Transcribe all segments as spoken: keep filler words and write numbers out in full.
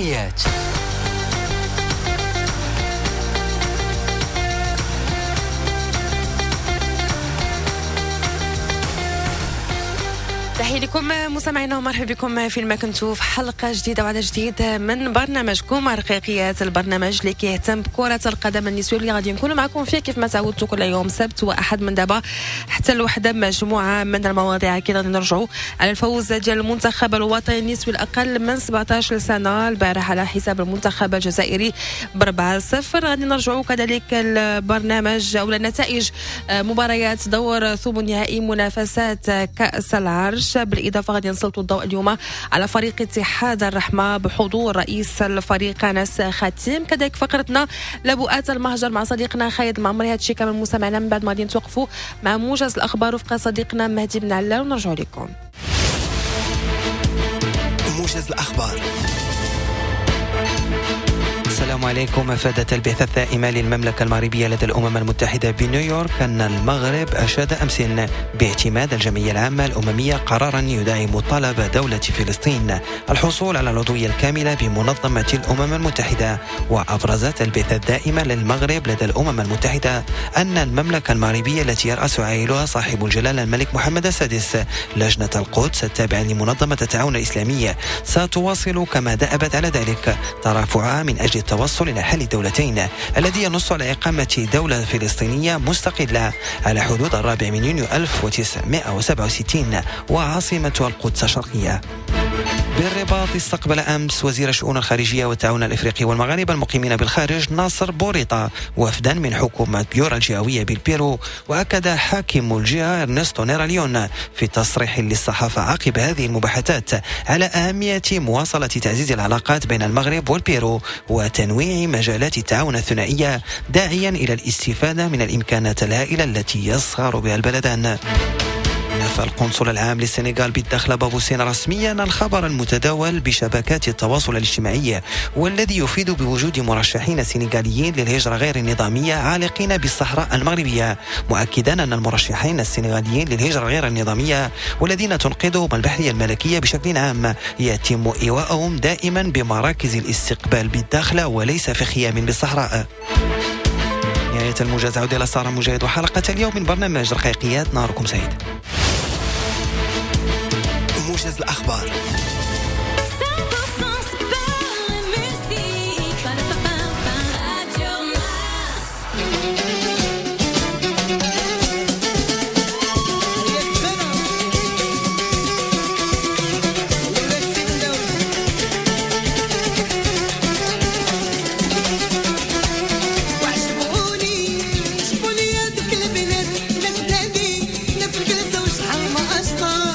رقيقيات. تحية لكم مستمعينا ومرحبا بكم فين ما كنتوا في حلقة جديدة وعدد جديد من برنامجكم رقيقيات، البرنامج اللي كيهتم بكرة القدم النسوية اللي غادي نكونوا معكم فيه كيف ما تعودتوا كل يوم سبت وأحد من دابا حتى الوحدة، مجموعة من المواضيع. أكيد غادي نرجعوا على الفوز ديال المنتخب الوطني النسوي الأقل من سبعطاش سنة البارح على حساب المنتخب الجزائري بأربعة صفر. غادي نرجعوا كذلك البرنامج أو نتائج مباريات دور ثمن نهائي منافسات كأس العرش. بالإضافة غادي نسلطوا الضوء اليوم على فريق اتحاد الرحمة بحضور رئيس الفريق أنس خاتم. كذلك فقرتنا لبؤات المهجر مع صديقنا خالد المعمري. هادشي كامل مستمعنا من بعد ما غادي نتوقفوا مع موجز الأخبار وفق صديقنا مهدي بن علال ونرجعوا لكم. موجز الأخبار. السلام عليكم. أفادت البعثة الدائمة للمملكة المغربية لدى الأمم المتحدة بنيويورك أن المغرب أشاد أمس باعتماد الجمعية العامة الأممية قرارا يدعم طلب دولة فلسطين الحصول على العضوية الكاملة بمنظمة الأمم المتحدة. وأبرزت البعثة الدائمة للمغرب لدى الأمم المتحدة أن المملكة المغربية التي يرأس عائلها صاحب الجلالة الملك محمد السادس لجنة القدس التابعة لمنظمة التعاون الإسلامي ستواصل كما دأبت على ذلك ترافعها من أجل التوصل إلى حل الدولتين الذي ينص على إقامة دولة فلسطينية مستقلة على حدود الرابع من يونيو ألف وتسعمائة وسبعة وستين وعاصمتها القدس الشرقية. بالرباط استقبل أمس وزير الشؤون الخارجية والتعاون الإفريقي والمغاربة المقيمين بالخارج ناصر بوريطة وفدا من حكومة بيورا الجهوية بالبيرو. وأكد حاكم الجهة إرنستو نيراليون في تصريح للصحافة عقب هذه المباحثات على أهمية مواصلة تعزيز العلاقات بين المغرب والبيرو وتنويع مجالات التعاون الثنائية، داعيا إلى الاستفادة من الإمكانات الهائلة التي يصغر بها البلدان. نفى القنصل العام للسنغال بالداخلة بابوسين رسميا الخبر المتداول بشبكات التواصل الاجتماعي والذي يفيد بوجود مرشحين سنغاليين للهجرة غير النظامية عالقين بالصحراء المغربية، مؤكدا أن المرشحين السنغاليين للهجرة غير النظامية والذين تنقذهم البحرية الملكية بشكل عام يتم إيواءهم دائما بمراكز الاستقبال بالداخلة وليس في خيام بالصحراء. نهاية الموجز، عودة إلى سارة مجاهد وحلقة اليوم من برنامج رقيقيات. نهاركم سعيد. موجز الأخبار. وشحال ما أشطر.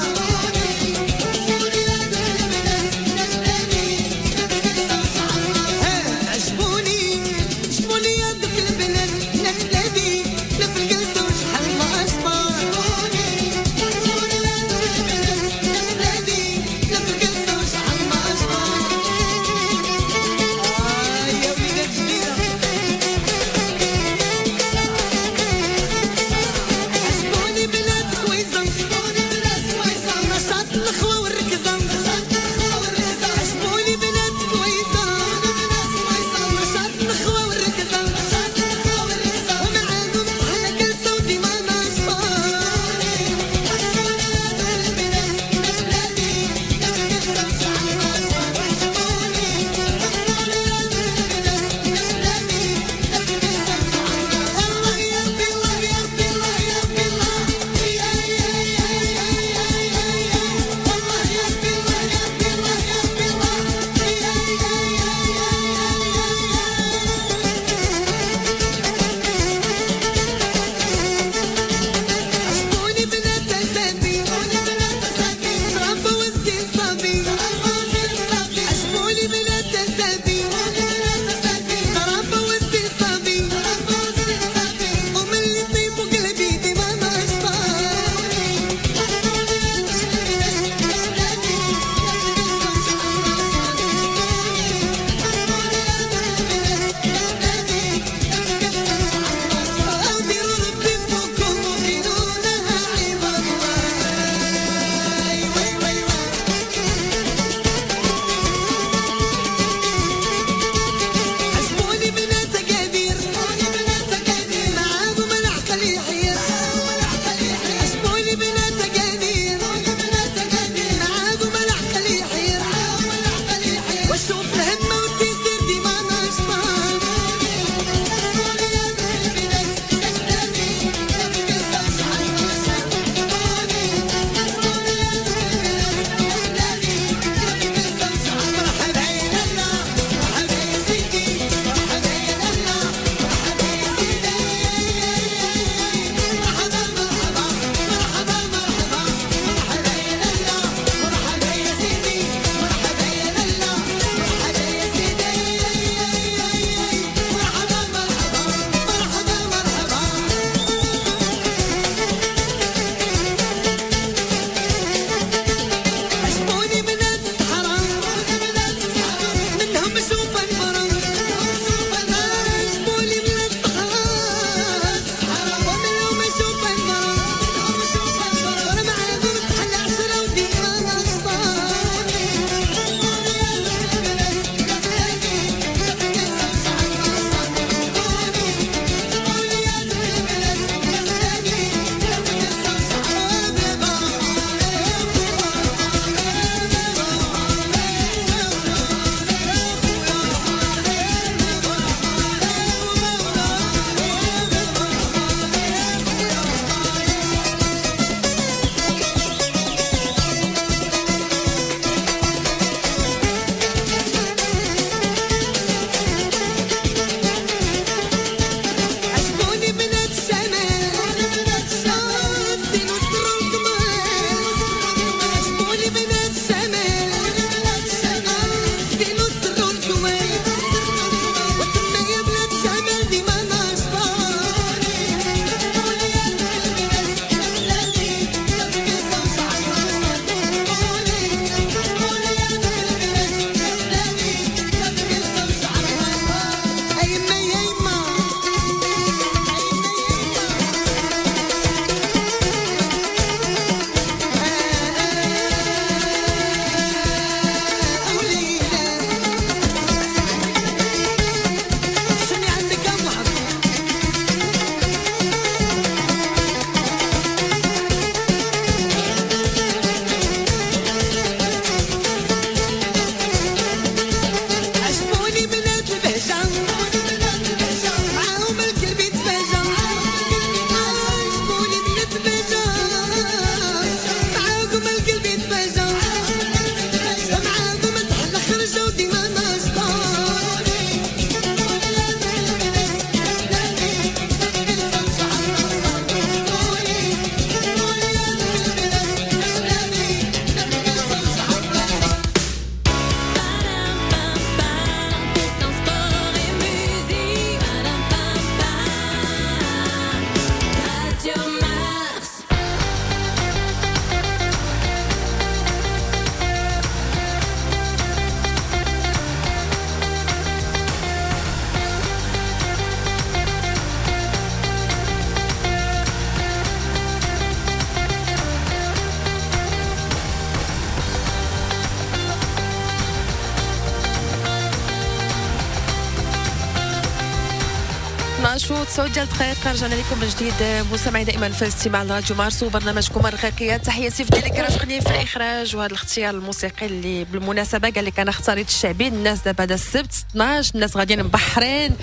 اثنا عشر و تسعة ديال الدقائق، رجعنا لكم من جديد مستمعي دائما في الاستماع لراديو مارس وبرنامجكم الرقيقيات. تحية سيف اللي كرافقني في الاخراج وهذا الاختيار الموسيقي اللي بالمناسبة قال لك انا اختاريت الشعبي. الناس دابا هذا السبت اثنا عشر، الناس غاديين مبحرين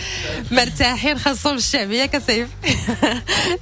مرتاحين، خاصهم الشعبية كسيف.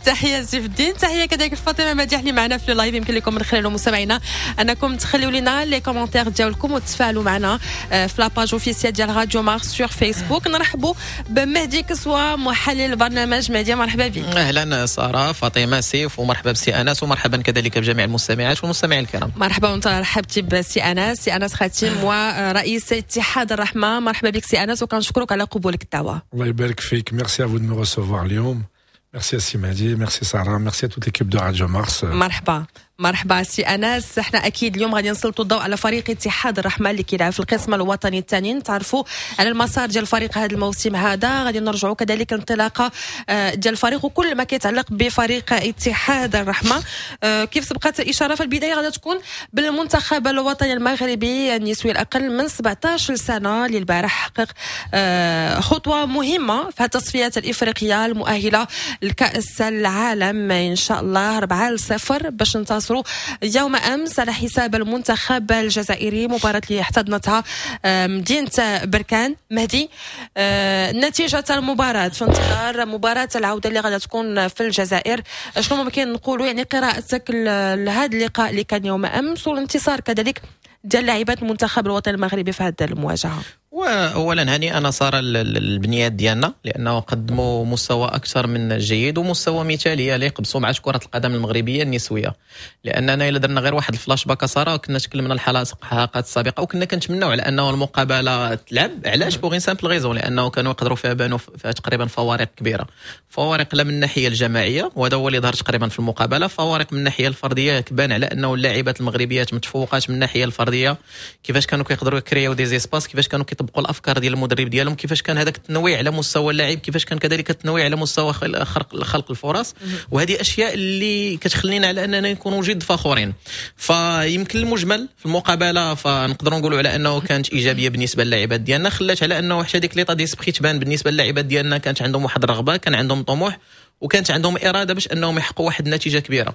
تحية سيف الدين، تحية كذلك فاطمة مديح اللي معنا في ال live. يمكن لكم من خلاله مستمعينا انكم تخليو لنا les commentaires ديالكم وتفاعلوا معنا آه، في la page officielle ديال راديو مارس sur فيسبوك. نرحبوا بمهدي كسوة محلل البرنامج. مهدي، مرحبا بك. اهلا ساره، فاطمه، سيف، ومرحبا بسي انس ومرحبا كذلك بجميع المستمعات والمستمعين الكرام. مرحبا، وانت رحبتي بسي انس، سي انس خاتم ورئيس اتحاد الرحمه. مرحبا بك سي انس وكنشكرك على قبولك الدعوه. الله يبارك فيك، merci à vous de me recevoir اليوم. merci سي مهدي، ميرسي ساره، merci à toute l'équipe de راديو مارس. مرحبا مرحبا سي انس. احنا اكيد اليوم غادي نسلطوا الضوء على فريق اتحاد الرحمة اللي كيلعب في القسم الوطني الثاني، نتعرفوا على المسار ديال الفريق هذا الموسم هذا، غادي نرجعوا كذلك الانطلاقة آه، ديال الفريق وكل ما كيتعلق بفريق اتحاد الرحمه. آه، كيف سبقت الاشارة في البدايه، غادي تكون بالمنتخب الوطني المغربي النسوي الاقل من سبعة عشر سنة اللي البارح حقق آه، خطوة مهمة في التصفيات الافريقية المؤهله لكاس العالم ان شاء الله، أربعة لصفر باش انتصروا يوم امس على حساب المنتخب الجزائري، مباراة اللي احتضنتها آه، مدينة بركان. مهدي، آه، نتيجة المباراة في انتظار مباراة العودة اللي غادي تكون في الجزائر، شنو ممكن نقولوا؟ يعني قراءتك لهذا اللقاء اللي كان يوم امس والانتصار كذلك ديال لاعبات المنتخب الوطني المغربي في هذه المواجهه. واولا هنيئا ساره البنيات ديالنا لانه قدموا مستوى اكثر من جيد ومستوى مثالي يليق بسمعه كره القدم المغربية النسويه، لاننا الا درنا غير واحد الفلاش باك ساره، كنا تكلمنا الحلقات السابقة وكنا كنتمناو على انه المقابلة تلعب. علاش؟ pour une simple raison، لانه كانوا يقدروا فيها بانوا فيها تقريبا فوارق كبيره، فوارق لا من الناحية الجماعية وهذا هو اللي ظهر تقريبا في المقابله، فوارق من الناحية الفرديه، كبان على انه اللاعبات المغربيات متفوقات من الناحية الفرديه، كيفاش كانوا كيقدروا يكريو des espaces، كيفاش كانوا كيطبقوا الافكار ديال المدرب ديالهم، كيفاش كان هذاك التنويع على مستوى اللاعب، كيفاش كان كذلك التنويع على مستوى خلق خلق الفرص. وهذه اشياء اللي كتخلينا على اننا نكونوا جد فخورين. فيمكن المجمل في المقابلة فنقدروا نقولوا على انه كانت ايجابية بالنسبة للاعبات ديالنا، خلات على انه حتى ديك l'état d'esprit تبان بالنسبة للاعبات ديالنا. كانت عندهم واحد الرغبه، كان عندهم طموح وكانت عندهم اراده باش انهم يحققوا واحد النتيجة كبيره.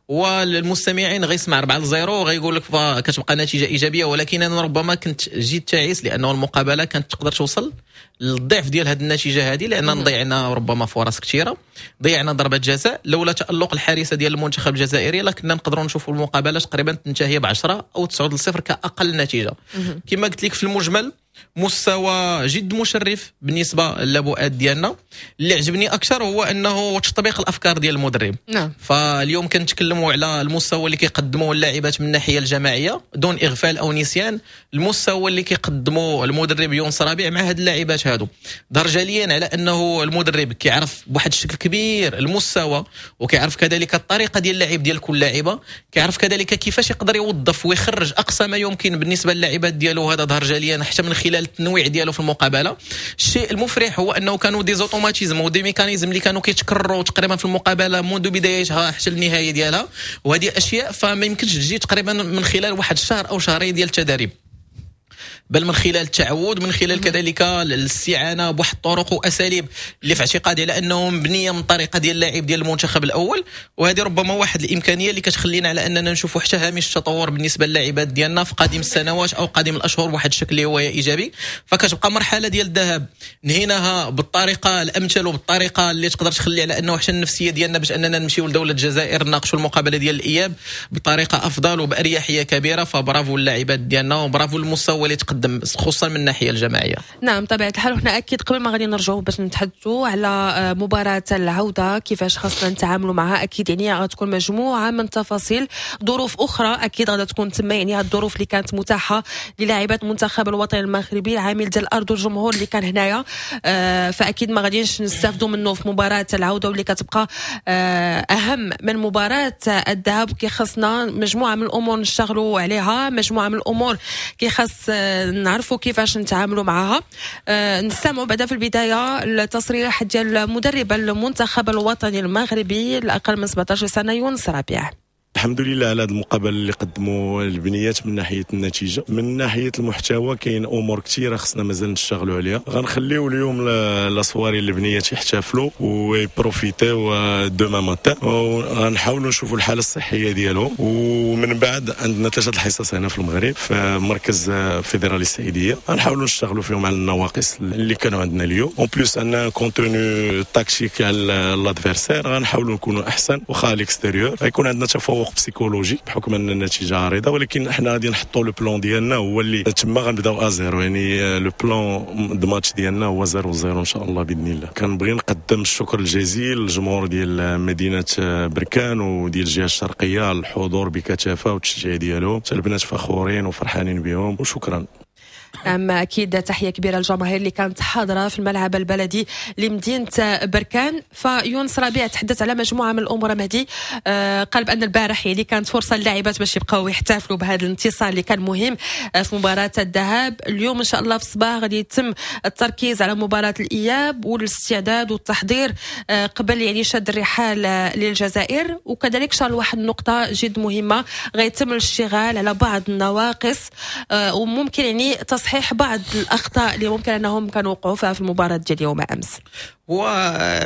والمستمعين غيسمع أربعة لصفر وغيقول لك كتبقى نتيجة ايجابيه، ولكن انا ربما كنت جد تعيس لانه المقابلة كانت تقدر توصل للضعف ديال هذه النتيجة هذه، لان ضيعنا ربما فرص كثيره، ضيعنا ضربه جزاء، لولا تالق الحارسه ديال المنتخب الجزائري لكنا نقدروا نشوفوا المقابلة تقريبا تنتهي ب عشرة او تسعة لصفر كاقل نتيجه. كما قلت لك، في المجمل مستوى جد مشرف بالنسبة للبؤات ديالنا. اللي عجبني اكثر هو انه تطبيق الافكار ديال المدرب. نعم. فاليوم كنتكلموا على المستوى اللي كيقدموه اللاعبات من الناحية الجماعية دون اغفال او نسيان المستوى اللي كيقدموه المدرب يونس ربيع مع هاد اللاعبات هادو. ظهر جليا على انه المدرب كيعرف بواحد الشكل كبير المستوى وكيعرف كذلك الطريقة ديال اللعب ديال كل لاعبه، كيعرف كذلك كيفاش يقدر يوظف ويخرج اقصى ما يمكن بالنسبة للاعبات ديالو. هذا ظهر جليا حتى من خلال التنويع ديالو في المقابله. الشيء المفرح هو انه كانوا des automatismes و des mécanismes اللي كانوا كيتكرروا تقريبا في المقابلة منذ بدايتها حتى النهاية ديالها، وهذه اشياء فما يمكنش تجي تقريبا من خلال واحد الشهر او شهرين ديال التدريب، بل من خلال التعود، من خلال كذلك الاستعانة بواحد الطرق واساليب اللي في اعتقادي على انه مبنية من طريقه ديال اللاعب ديال المنتخب الاول. وهذه ربما واحد الامكانية اللي كتخلينا على اننا نشوفوا حتى هامش التطور بالنسبة للاعبات ديالنا في قادم السنوات او قادم الاشهر بواحد الشكل اللي هو ايجابي. فكتبقى مرحلة ديال الذهاب نهيناها بالطريقة الامثل وبالطريقه اللي تقدر تخلي على انه حتى النفسية ديالنا باش اننا نمشيو لدولة الجزائر نناقشوا المقابلة ديال الاياب بطريقة افضل وباريحيه كبيره. فبرافو اللاعبات ديالنا وبرافو المستوى اللي تقدم خصوصا من الناحية الجماعيه. نعم، طبيعة الحال. وحنا اكيد قبل ما غادي نرجعوا باش نتحدثوا على آه، مباراة العوده، كيفاش خاصنا نتعاملوا معها، اكيد يعني غتكون مجموعة من تفاصيل، ظروف اخرى اكيد غادي تكون تما، يعني هاد الظروف اللي كانت متاحة للاعبات المنتخب الوطني المغربي، العامل ديال الارض والجمهور اللي كان هنايا، آه، فاكيد ما غاديش نستافدوا منه في مباراة العودة واللي كتبقى آه، اهم من مباراة الذهاب. كيخصنا مجموعة من الامور نشتغلوا عليها، مجموعة من الامور كيخص نعرفوا كيفاش نتعاملوا معها. آه، نستمعوا بعدا في البداية التصريح ديال مدرب المنتخب الوطني المغربي الاقل من سبعة عشر سنة يونس ربيع. الحمد لله على هذه المقابلة اللي قدموا البنيات من ناحية النتيجه. من ناحية المحتوى كاين امور كثيرة خصنا مازال نشتغلوا عليها. غنخليو اليوم la soirée البنيات يحتفلوا وي profiter و demain matin، وغنحاولوا نشوفوا الحالة الصحية ديالهم. ومن بعد عندنا ثلاثة الحصص هنا في المغرب في مركز فيدرالي السعيديه، غنحاولوا نشتغلوا فيهم على النواقص اللي كانوا عندنا اليوم. en plus عندنا contenu tactique على l'adversaire، غنحاولوا نكونوا احسن واخا à l'extérieur. غيكون عندنا تفوق psychologique بحكم ان النتيجة عريضه، ولكن احنا غادي نحطوا le plan ديالنا هو اللي تما غنبداو à zéro، يعني le plan de match ديالنا هو zéro zéro ان شاء الله باذن الله. كنبغي نقدم الشكر الجزيل للجمهور ديال مدينة بركان وديال الجهة الشرقية على الحضور بكثافة والتشجيع ديالهم. حتى البنات فخورين وفرحانين بهم، وشكرا. نعم، اكيد تحية كبيرة للجماهير اللي كانت حاضره في الملعب البلدي لمدينة بركان. فيونس ربيع تحدث على مجموعة من الامور مهدي، آه قال بان البارح يعني كانت فرصة للاعبات باش يبقاو يحتفلوا بهذا الانتصار اللي كان مهم آه، في مباراة الذهاب. اليوم ان شاء الله في الصباح غادي يتم التركيز على مباراة الاياب والاستعداد والتحضير آه قبل يعني شد الرحال للجزائر. وكذلك شار واحد النقطة جد مهمه، غيتم الاشتغال على بعض النواقص آه وممكن يعني تصحيح بعض الاخطاء اللي ممكن انهم كانوا وقعوا فيها في المباراة ديال يوم امس. هو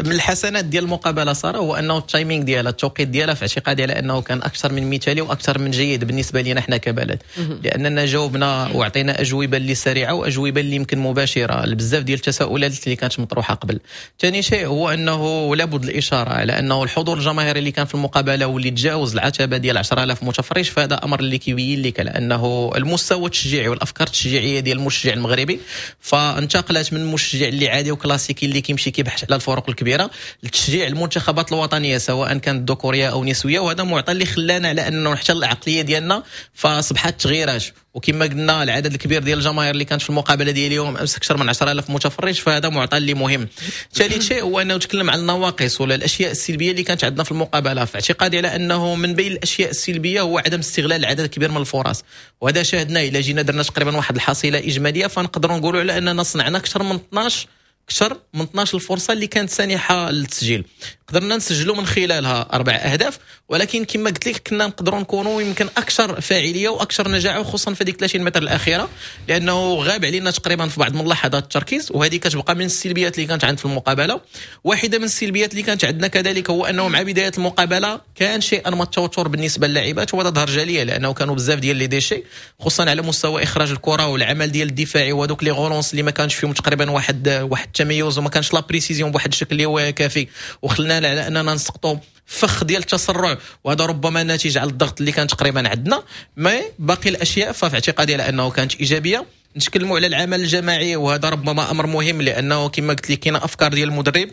من الحسنات ديال المقابلة ساره هو انه ال timing ديالها، التوقيت ديالها، في اعتقادي على انه كان اكثر من مثالي واكثر من جيد بالنسبة لنا احنا كبلد، لاننا جاوبنا وعطينا اجوبه اللي سريعة واجوبه اللي يمكن مباشرة لبزاف ديال التساؤلات اللي كانت مطروحة قبل. ثاني شيء هو انه لابد الاشارة على انه الحضور الجماهيري اللي كان في المقابلة واللي تجاوز العتبة ديال عشرة آلاف متفرج، فهذا امر اللي كيبين لك على انه المستوى التشجيعي والافكار التشجيعيه ديال المشجع المغربي فانتقلت من المشجع اللي عادي وكلاسيكي اللي كيمشي كيبحث على الفرق الكبيرة لتشجيع المنتخبات الوطنية سواء كانت ذكوريه او نسويه. وهذا معطى اللي خلانا على انه حتى العقلية ديالنا فاصبحت تغيرات. وكما قلنا العدد الكبير ديال الجماهير اللي كانت في المقابلة ديال اليوم امس اكثر من عشرة آلاف متفرج، فهذا معطى اللي مهم. ثالث شيء هو انه تكلم عن النواقص ولا الاشياء السلبية اللي كانت عندنا في المقابله. في اعتقادي على انه من بين الاشياء السلبية هو عدم استغلال عدد كبير من الفرص، وهذا شاهدناه. الى جينا درنا تقريبا واحد الحصيلة اجمالية فنقدروا نقولوا على اننا صنعنا اكثر من اثنا عشر اكثر من اثنا عشر الفرصة اللي كانت سانحه للتسجيل، قدرنا نسجلوا من خلالها اربع اهداف، ولكن كما قلت لك كنا نقدروا نكونوا يمكن اكثر فاعلية واكثر نجاعه، خصوصا في ديك ثلاثين متر الاخيره، لانه غاب علينا تقريبا في بعض من لحظات التركيز، وهذه كتبقى من السلبيات اللي كانت عند في المقابله. واحدة من السلبيات اللي كانت عندنا كذلك هو انه مع بداية المقابلة كان شيئا ما التوتر بالنسبة للاعبات، وهذا ظهر جليا لانه كانوا بزاف ديال les déchets خصوصا على مستوى اخراج الكره والعمل ديال الدفاعي وهذوك les relances اللي ما كانش فيهم تقريبا واحد واحد التميز وما كانش la précision بواحد الشكل اللي هو كافي، وخلانا على اننا نسقطوا فخ ديال التسرع، وهذا ربما ناتج على الضغط اللي كان تقريبا عندنا. mais باقي الاشياء ففي اعتقادي على انه كانت ايجابيه. نتكلموا على العمل الجماعي، وهذا ربما امر مهم لانه كما قلت لك كاينه افكار ديال المدرب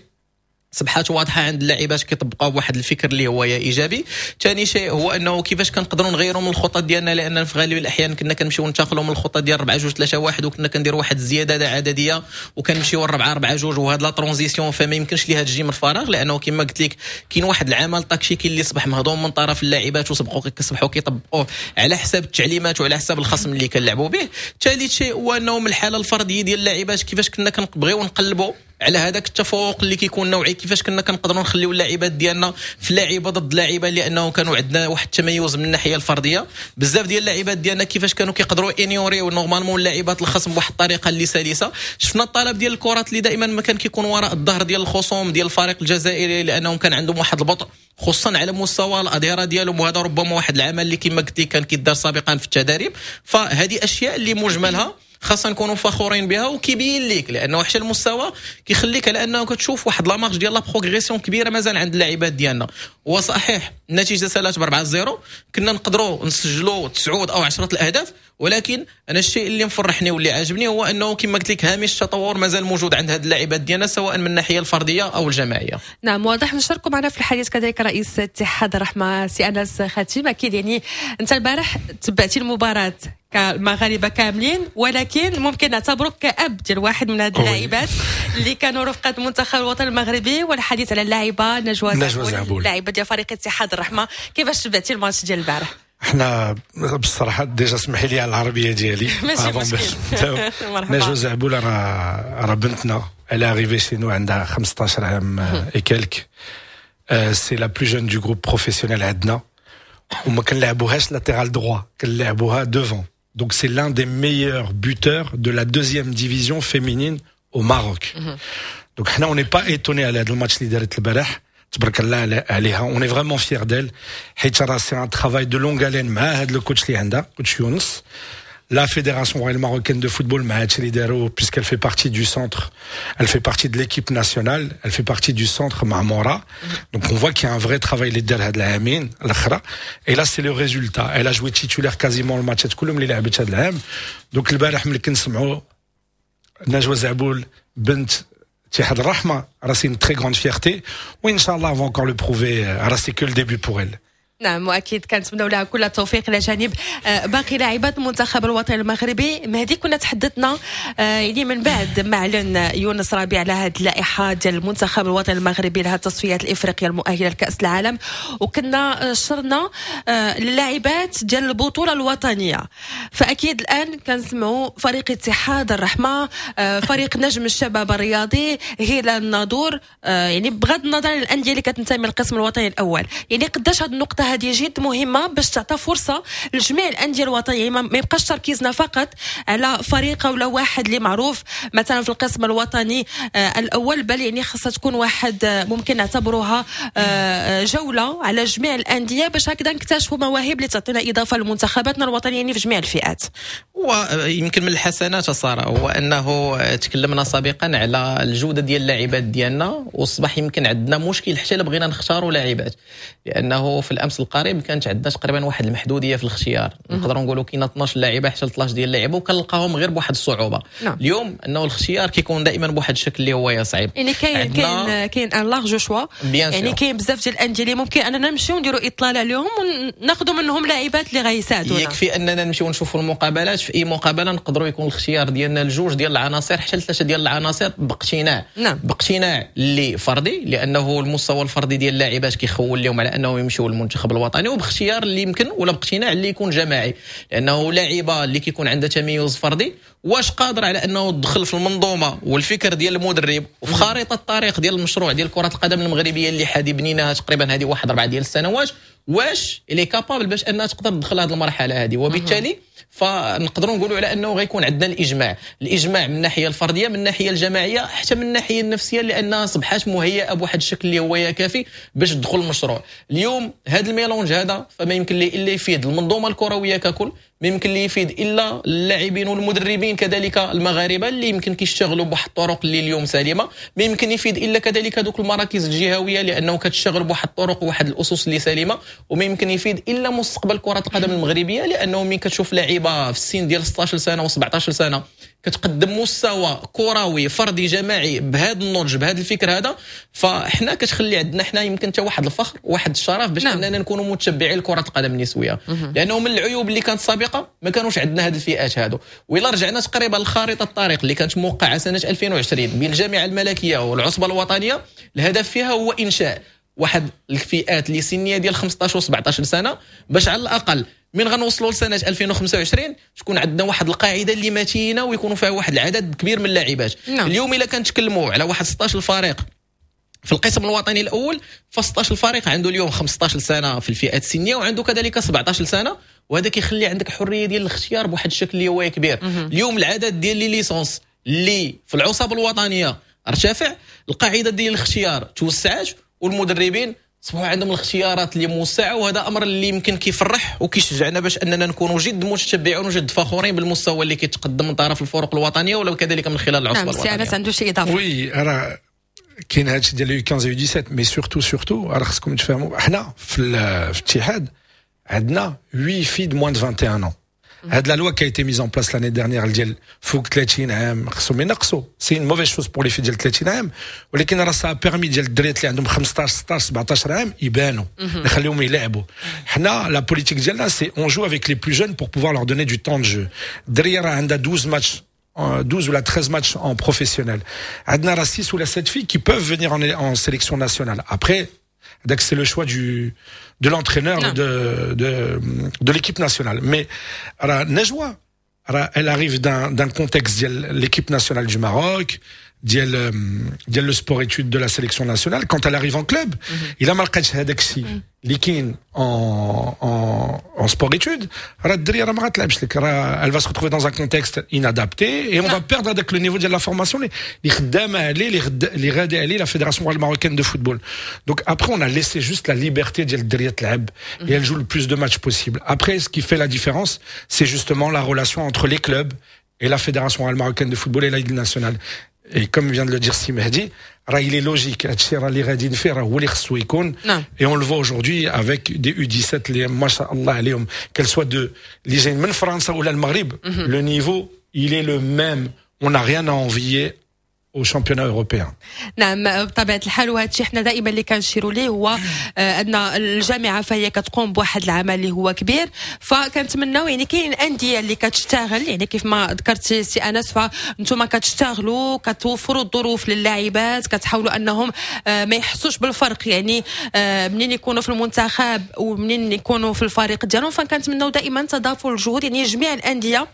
صبحات واضحة عند اللاعبات كيطبقوا بواحد الفكر اللي هو ايجابي. ثاني شيء هو انه كيفاش كنقدروا نغيروا من الخطط ديالنا، لان في غالب الاحيان كنا كنمشيو ننتقلوا من الخطة ديال أربعة جوج ثلاثة واحد وكنا كنديروا واحد الزيادة عددية وكنمشيو أربعة أربعة جوج، وهاد la transition فما يمكنش ليها تجي من الفراغ، لانه كما قلت لك كاين واحد العمل تكتيكي اللي صبح مهضوم من طرف اللاعبات وسبقوا كيصبحوا كيطبقوه على حساب التعليمات وعلى حساب الخصم اللي كنلعبوا به. ثالث شيء هو انه من الحالة الفردية ديال اللاعبات كيفاش كنا كنبغيو نقلبوا على هذاك التفوق اللي كيكون نوعي، كيفاش كنا كنقدروا نخليو اللاعبات ديالنا في لاعيبه ضد لاعيبه، لانه كانوا عندنا واحد التميز من الناحية الفرديه. بزاف ديال اللاعبات ديالنا كيفاش كانوا كيقدروا ignorer normalement اللاعبات الخصم بواحد الطريقة اللي سلسه. شفنا الطلب ديال الكرات اللي دائما ما كان كيكون وراء الظهر ديال الخصوم ديال الفريق الجزائري، لانهم كان عندهم واحد البطء خصوصا على مستوى الاظهرة ديالهم، وهذا ربما واحد العمل اللي كما قلت كان كيدار سابقا في التدريب. فهذه اشياء اللي مجملها خاصنا نكونوا فخورين بها، وكيبين لك لانه حتى المستوى كيخليك على انه كتشوف واحد la marge ديال la progression كبيرة مازال عند اللاعبات ديالنا. وصحيح النتيجة سالات ب أربعة صفر، كنا نقدروا نسجلوا تسعة او عشرة الاهداف، ولكن انا الشيء اللي مفرحني واللي عاجبني هو انه كما قلت لك هامش التطور مازال موجود عند هاد اللاعبات ديالنا سواء من الناحية الفردية او الجماعيه. نعم واضح. نشاركوا معنا في الحديث كذلك رئيس اتحاد الرحمة سي انس خاتم. اكيد يعني انت البارح تبعتي المباراة كمغاربه كاملين، ولكن ممكن نعتبرك كأب ديال واحد من هاد اللاعبات اللي كانوا رفقه المنتخب الوطني المغربي، والحديث على اللاعبه نجوى نجوى زعبول، اللاعبه ديال فريق اتحاد الرحمه. كيفاش تبعتي الماتش ديال البارح؟ احنا بالصراحه déjà اسمحي لي على العربية ديالي. ماشي مشكل. نجوى زعبول راه راه بنتنا، elle est arrivée chez nous عندها خمسطاش عام et quelques، c'est la plus jeune du groupe professionnel عندنا. وما كنلعبوهاش latéral droit، كنلعبوها devant. Donc c'est l'un des meilleurs buteurs de la deuxième division féminine au Maroc. Donc حنا on n'est pas étonné على هذا الماتش اللي دارت البارح، تبارك الله عليها، on est vraiment fiers d'elle، حيت راه c'est un travail de longue haleine مع هذا ال coach اللي عندها، coach يونس، la Fédération royale marocaine de football مع هادشي اللي داروا، puisqu'elle fait partie du centre, elle fait partie de l'équipe nationale, elle fait partie du centre Maâmora. Donc on voit qu'il y a un vrai travail اللي دار هاد العامين الاخرى، et là c'est le résultat. Elle a joué titulaire quasiment الماتشات كلهم اللي لعبت هاد العام. donc البارح ملي كنسمعوا نجوى زعبول بنت اتحاد الرحمه، راه c'est une très grande fierté، وان شاء الله on va encore le prouver، راه c'est que le début pour elle. نعم، واكيد كنتمنوا لها كل التوفيق الى جانب آه، باقي لاعبات المنتخب الوطني المغربي. مهدي، كنا تحدثنا آه، يعني من بعد ما اعلن يونس ربيع على هذه اللائحة ديال المنتخب الوطني المغربي لهذه التصفيات الافريقية المؤهله لكاس العالم، وكنا شرنا آه، للاعبات ديال البطولة الوطنيه، فاكيد الان كنسمعوا فريق اتحاد الرحمه، فريق نجم الشباب الرياضي، هلال الناظور، يعني بغض النظر عن الاندية اللي كتنتمي للقسم الوطني الاول. يعني قداش هذه النقطة هذه جد مهمة باش تعطى فرصة لجميع الاندية الوطنيه، ما يبقاش تركيزنا فقط على فريق ولا واحد اللي معروف مثلا في القسم الوطني آه، الاول، بل يعني خاصها تكون واحد آه، ممكن نعتبروها آه، جولة على جميع الانديه، باش هكذا نكتشفوا مواهب اللي تعطينا اضافه لمنتخباتنا الوطنية يعني في جميع الفئات. ويمكن من الحسنات ساره هو انه تكلمنا سابقا على الجودة ديال اللاعبات ديالنا، وصبح يمكن عندنا مشكل حتى الا بغينا نختاروا لاعبات، لانه في الامس القريب كانت عندنا تقريبا واحد المحدوديه في الاختيار، نقدروا نقولوا كاين اثنا عشر لاعبه حتى ثلاثة عشر ديال اللاعبه، وكنلقاهم غير بواحد الصعوبه. نعم. اليوم انه الاختيار كيكون دائما بواحد الشكل اللي هو صعيب. يعني كاين كاين كاين un large choix، يعني كاين بزاف ديال الاندية اللي ممكن اننا نمشيو نديروا اطلالة عليهم وناخذوا منهم لاعبات اللي غيساعدونا. يكفي اننا نمشيو نشوفوا المقابلات، في اي مقابله نقدروا يكون الاختيار ديالنا الجوج ديال العناصر حتى ثلاثة ديال العناصر باقتناع. نعم. باقتناع اللي فردي، لانه المستوى الفردي ديال اللاعبات كيخول لهم على انهم يمشيو للمنتخب الوطني، وباختيار اللي يمكن ولا باقتناع اللي يكون جماعي، لانه لاعبه اللي كيكون عندها تميز فردي واش قادر على انه تدخل في المنظومة والفكر ديال المدرب وفي خارطة الطريق ديال المشروع ديال كره القدم المغربية اللي حادي بنيناها تقريبا هذه واحد اربعة ديال السنوات، واش elle est capable باش انها تقدر تدخل هذه المرحلة هذه؟ وبالتالي فنقدروا نقولوا على انه غيكون عندنا الاجماع، الاجماع من الناحية الفرديه، من الناحية الجماعيه، حتى من الناحية النفسيه، لانها اصبحت مهيئة بواحد الشكل اللي هو كافي باش تدخل المشروع. اليوم هذا ال mélange هذا فما يمكن لي الا يفيد المنظومة الكروية ككل، ما يمكن لي يفيد الا اللاعبين والمدربين كذلك المغاربة اللي يمكن كيشتغلوا بواحد الطرق اللي اليوم سليمه، ما يمكن يفيد الا كذلك هذوك المراكز الجهوية لانه كتشتغل بواحد الطرق وواحد الاسس اللي سليمه، وما يمكن يفيد الا مستقبل كره القدم المغربيه، لانه ملي كتشوف لاعيبه في السن ديال ستة عشر سنة وسبعة عشر سنة كتقدم مستوى كروي فردي جماعي بهذا النضج، بهذا الفكر هذا، فاحنا كتخلي عندنا حنا يمكن حتى واحد الفخر واحد الشرف باش نعم. اننا نكونوا متشبعين لكرة القدم النسويه، لانه من العيوب اللي كانت سابقه ما كانوش عندنا هذه الفئات هادو. وإلا رجعنا تقريبا لخارطه الطريق اللي كانت موقعه سنة ألفين وعشرين بين الجامعة الملكية والعصبه الوطنيه، الهدف فيها هو انشاء واحد الفئات اللي سنية ديال خمسة عشر و سبعة عشر سنه، باش على الاقل من غنوصلوا لسنه ألفين وخمسة وعشرين تكون عندنا واحد القاعدة اللي متينة ويكونوا فيها واحد العدد كبير من اللاعبات. نعم. اليوم الا كنتكلموا على واحد ستة عشر فريق في القسم الوطني الاول، ف ستة عشر فريق عنده اليوم خمسة عشر سنة في الفئات السنية وعنده كذلك سبعة عشر سنه، وهذا كيخلي عندك حرية ديال الاختيار بواحد الشكل اللي هو كبير. اليوم العدد ديال les licences اللي في العصب الوطنية ارتفع، القاعدة ديال الاختيار توسعات، والمدربين صبحوا عندهم الاختيارات اللي موسعه، وهذا امر اللي يمكن كيفرح وكيشجعنا باش اننا نكونوا جد متشبعون وجد فخورين بالمستوى اللي كيتقدم من طرف الفرق الوطنية ولا كذلك من خلال العصبة نعم الوطنيه. سي انس عنده شي اضافه؟ oui، راه كاين هادشي ديال U خمسة عشر U سبعة عشر، mais surtout surtout راه خصكم تفهموا حنا في, في الاتحاد عندنا huit filles de moins de vingt et un ans. هاد la loi qui a été mise en place l'année dernière ديال فوق ثلاثين عام خصهم ينقصوا، c'est une mauvaise chose pour les filles ديال ثلاثين عام، ولكن راه ça a permis ديال الدريات اللي عندهم خمسة عشر ستة عشر سبعة عشر عام يبانوا، نخليهم يلعبوا. حنا la politique ديالنا c'est on joue avec les plus jeunes pour pouvoir leur donner du temps de jeu. الدريه راه عندها douze matchs، douze ولا treize matchs en professionnel. عندنا راه six ولا sept filles qui peuvent venir en, en sélection nationale. Après, c'est le choix du de l'entraîneur de, de, de l'équipe nationale. Mais راه نجوى راه elle arrive d'un d'un contexte ديال l'équipe nationale du Maroc، ديال ديال le sport études de la sélection nationale، quand elle arrive en club، الا ما لقاتش هذاك الشيء اللي كاين en en en sport études، راه الدريه راه ما غتلعبش لك، راه elle va se retrouver dans un contexte inadapté et on va perdre هذاك le niveau ديال la formation اللي خدامه عليه، اللي اللي غادي عليه la fédération marocaine de football. donc après on a laissé juste la liberté ديال الدريه تلعب et elle joue le plus de matchs possible. après ce qui fait la différence، c'est justement la relation entre les clubs et la fédération marocaine de football et la Ligue nationale. Et comme vient de le dire سي مهدي، راه il est logique، هادشي راه اللي غادي فيه راه هو اللي خصو يكون. نعم. Et on le voit aujourd'hui avec des يو ديسيت اللي ما شاء الله عليهم، qu'elles soient de اللي جايين من فرنسا ولا المغرب، le niveau il est le même، on n'a rien à envier au championnat européen. نعم، بطبيعة الحال، وهذا الشيء حنا دائما اللي كنشيروا ليه هو آه، ان الجامعة فهي كتقوم بواحد العمل اللي هو كبير، فكنتمناو يعني كاين اندية اللي كتشتغل، يعني كيف ما ذكرتي سي انس، فانتم كتشتغلوا، كتوفروا الظروف للاعبات، كتحاولوا انهم آه، ما يحسوش بالفرق، يعني آه، منين يكونوا في المنتخب ومنين يكونوا في الفريق ديالهم. فكنتمناو دائما تضافر الجهود، يعني جميع الاندية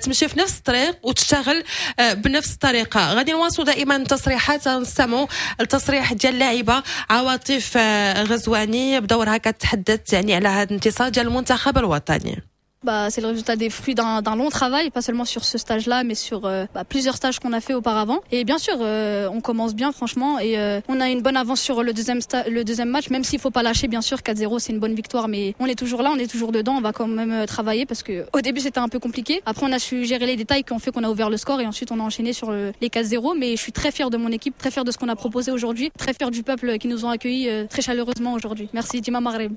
تمشي في نفس الطريق وتشتغل بنفس الطريقه. غادي نواصلوا دائما تصريحات، نستمعوا التصريح ديال اللاعبه عواطف آه، غزواني، بدورها كتحدث يعني على هذا الانتصار ديال المنتخب الوطني. Bah, c'est le résultat des fruits d'un long travail, pas seulement sur ce stage-là, mais sur euh, bah, plusieurs stages qu'on a fait auparavant. Et bien sûr, euh, on commence bien, franchement, et euh, on a une bonne avance sur le deuxième, le deuxième match, même s'il faut pas lâcher, bien sûr, quatre zéro, c'est une bonne victoire, mais on est toujours là, on est toujours dedans, on va quand même travailler parce que au début c'était un peu compliqué. Après, on a su gérer les détails qui ont fait qu'on a ouvert le score et ensuite on a enchaîné sur les quatre zéro. Mais je suis très fière de mon équipe, très fière de ce qu'on a proposé aujourd'hui, très fière du peuple qui nous ont accueillis très chaleureusement aujourd'hui. Merci، ديما مغرب.